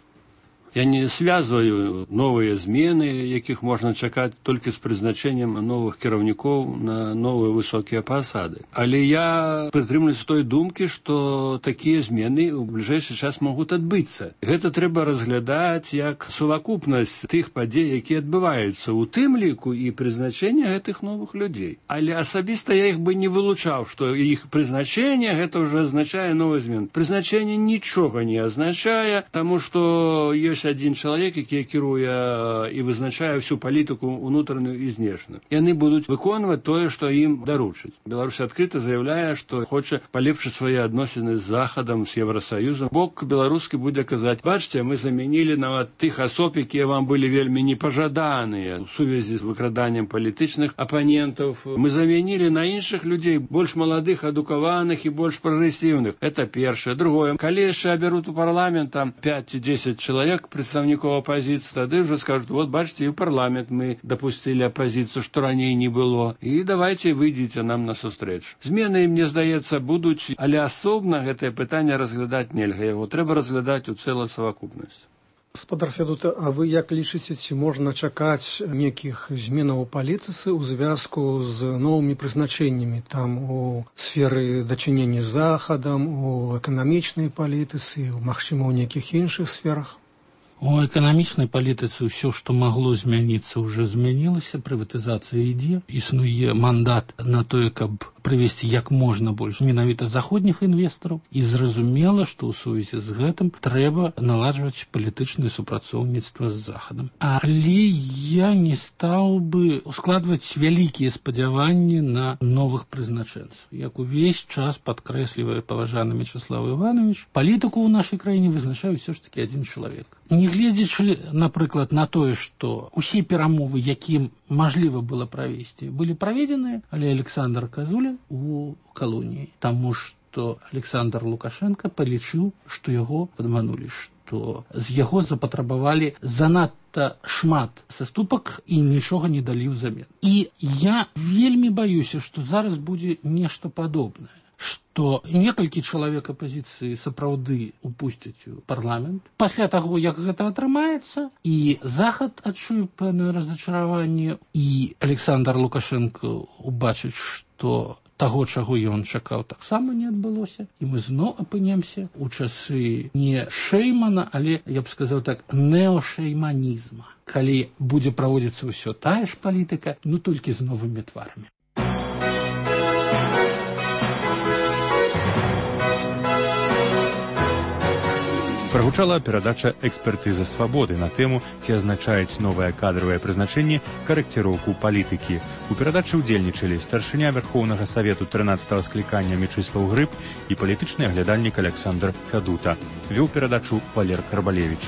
Я не связываю новые змены, якіх можна чакаць толькі з прызначэннем новых кіраўнікоў на новыя высокія пасады. Але я прытрымлюся той думкі, што такія змены ў бліжэйшы час могуць адбыцца. Гэта трэба разглядаць як сувакупнасць тых падзей, якія адбываюцца, у тым ліку і прызначэнне гэтых новых людзей. Але асабіста я іх бы не вылучаў, што іх прызначэнне гэта ўжо азначае новыя змены. Прызначэнне нічога не азначае, таму што ёсць один чалавек, які кіруе і вызначае всю палітыку ўнутраную і знешнюю. Яны будуць выконваць тое, што ім даручаць. Беларусь адкрыта заяўляе, што хоча палепшыць свае адносіны з Захадам, з Еўрасаюзам. Бок беларускі будзе казаць: бачце, мы замянілі нават тых асоб, якія вам былі вельмі непажаданыя ў сувязі з выкраданнем палітычных апанентаў. Мы замянілі на іншых людзей, больш маладых, адукаваных і больш прагрэсіўных. Это першае. Другое, калі яшчэ абяруць у парламент там 5-10 чалавек, представников оппозиции, тогда уже скажут: вот бачите, и в парламент мы допустили оппозицию, что ранее не было, и давайте выйдите нам на сустрэч. Змены, мне здаецца, будуць, але асобна гэтае пытанне разглядаць нельга, яго трэба разглядаць у цэлую савакупнасць. Спадар Федута, а вы як лічыце, ці можна чакаць нейкіх зменаў у палітыцы ў звязку з новымі прызначэннямі там у сферы дачынення з Захадам, у эканамічнай палітыцы, магчыма, у нейкіх іншых сферах? У эканамічнай палітыцы ўсё, што магло змяніцца, уже змянілася, прыватызацыя ідзе, існуе мандат на тое, каб прывесці як можна больш менавіта заходніх інвестараў, і зразумела, што ў сувязі з гэтым трэба наладжваць палітычнае супрацоўніцтва з Захадам. Але я не стаў бы ускладваць вялікія спадзяванні на новых прызначэнцаў. Як увесь час падкрэслівае паважаны Мячеслав Іванович, палітыку ў нашай краіне вызначае ўсё ж такі адзін чалавек. Нягледзячы, напрыклад, на тое, што ўсе перамовы, якім мажліва было правесці, былі праведзеныя, але Александр Казулін у калоніі, таму што Александр Лукашенко палічыў, што яго падманулі, што з яго запатрабавалі занадта шмат саступак і нічога не далі ўзамен. І я вельмі баюся, што зараз будзе нешта падобнае, што некалькі чалавек апазіцыі сапраўды упусцяць у парламент. Пасля таго, як гэта атрымаецца, і Захад адчуе пэўнае разачараванне, і Александр Лукашенко убачыць, што таго, чаго ён чакаў, таксама не адбылося, і мы зноў апынемся у часы не Шэймана, але, я б сказаў так, неошэйманізма, калі будзе праводзіцца ўсё тая ж палітыка, ну толькі з новымі тварамі. Прагучала перадача «Экспертыза свабоды» на тэму, ці азначаюць новае кадравае прызначэнне карэкціроўку палітыкі. У перадачы ўдзельнічалі старшыня Верхоўнага Савету 13-го склікання Мячеслав Грыб і палітычны аглядальнік Александр Федута. Вёў перадачу Валер Карбалевіч.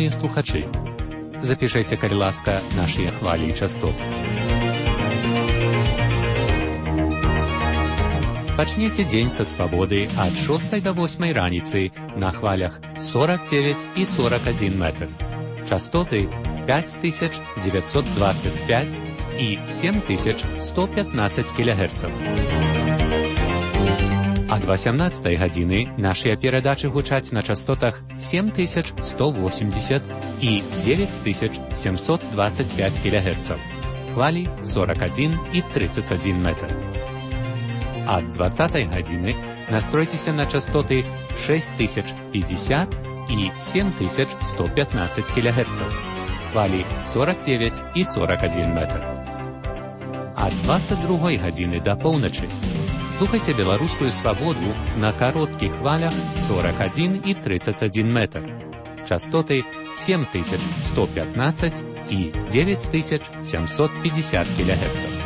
Шаноўныя слухачы, запішайце, калі ласка, нашыя хвалі і частоты. Пачнеце дзень са свабоды ад 6 до 8 раніцы на хвалях 49 і 41 метр. Частоты 5925 і 7115 кГц. Ад 18 гадзіны нашыя перадачы гучаць на частотах 7180 і 9725 кГц. Хвалі 41 і 31 метр. Ад 20 гадзіны настройцеся на частоты 6050 і 7115 кГц. Хвалі 49 і 41 метр. Ад 22 гадзіны да поўначы слухайце беларускую свабоду на кароткіх хвалях 41 і 31 метр. Частоты 7115 і 9750 кГц.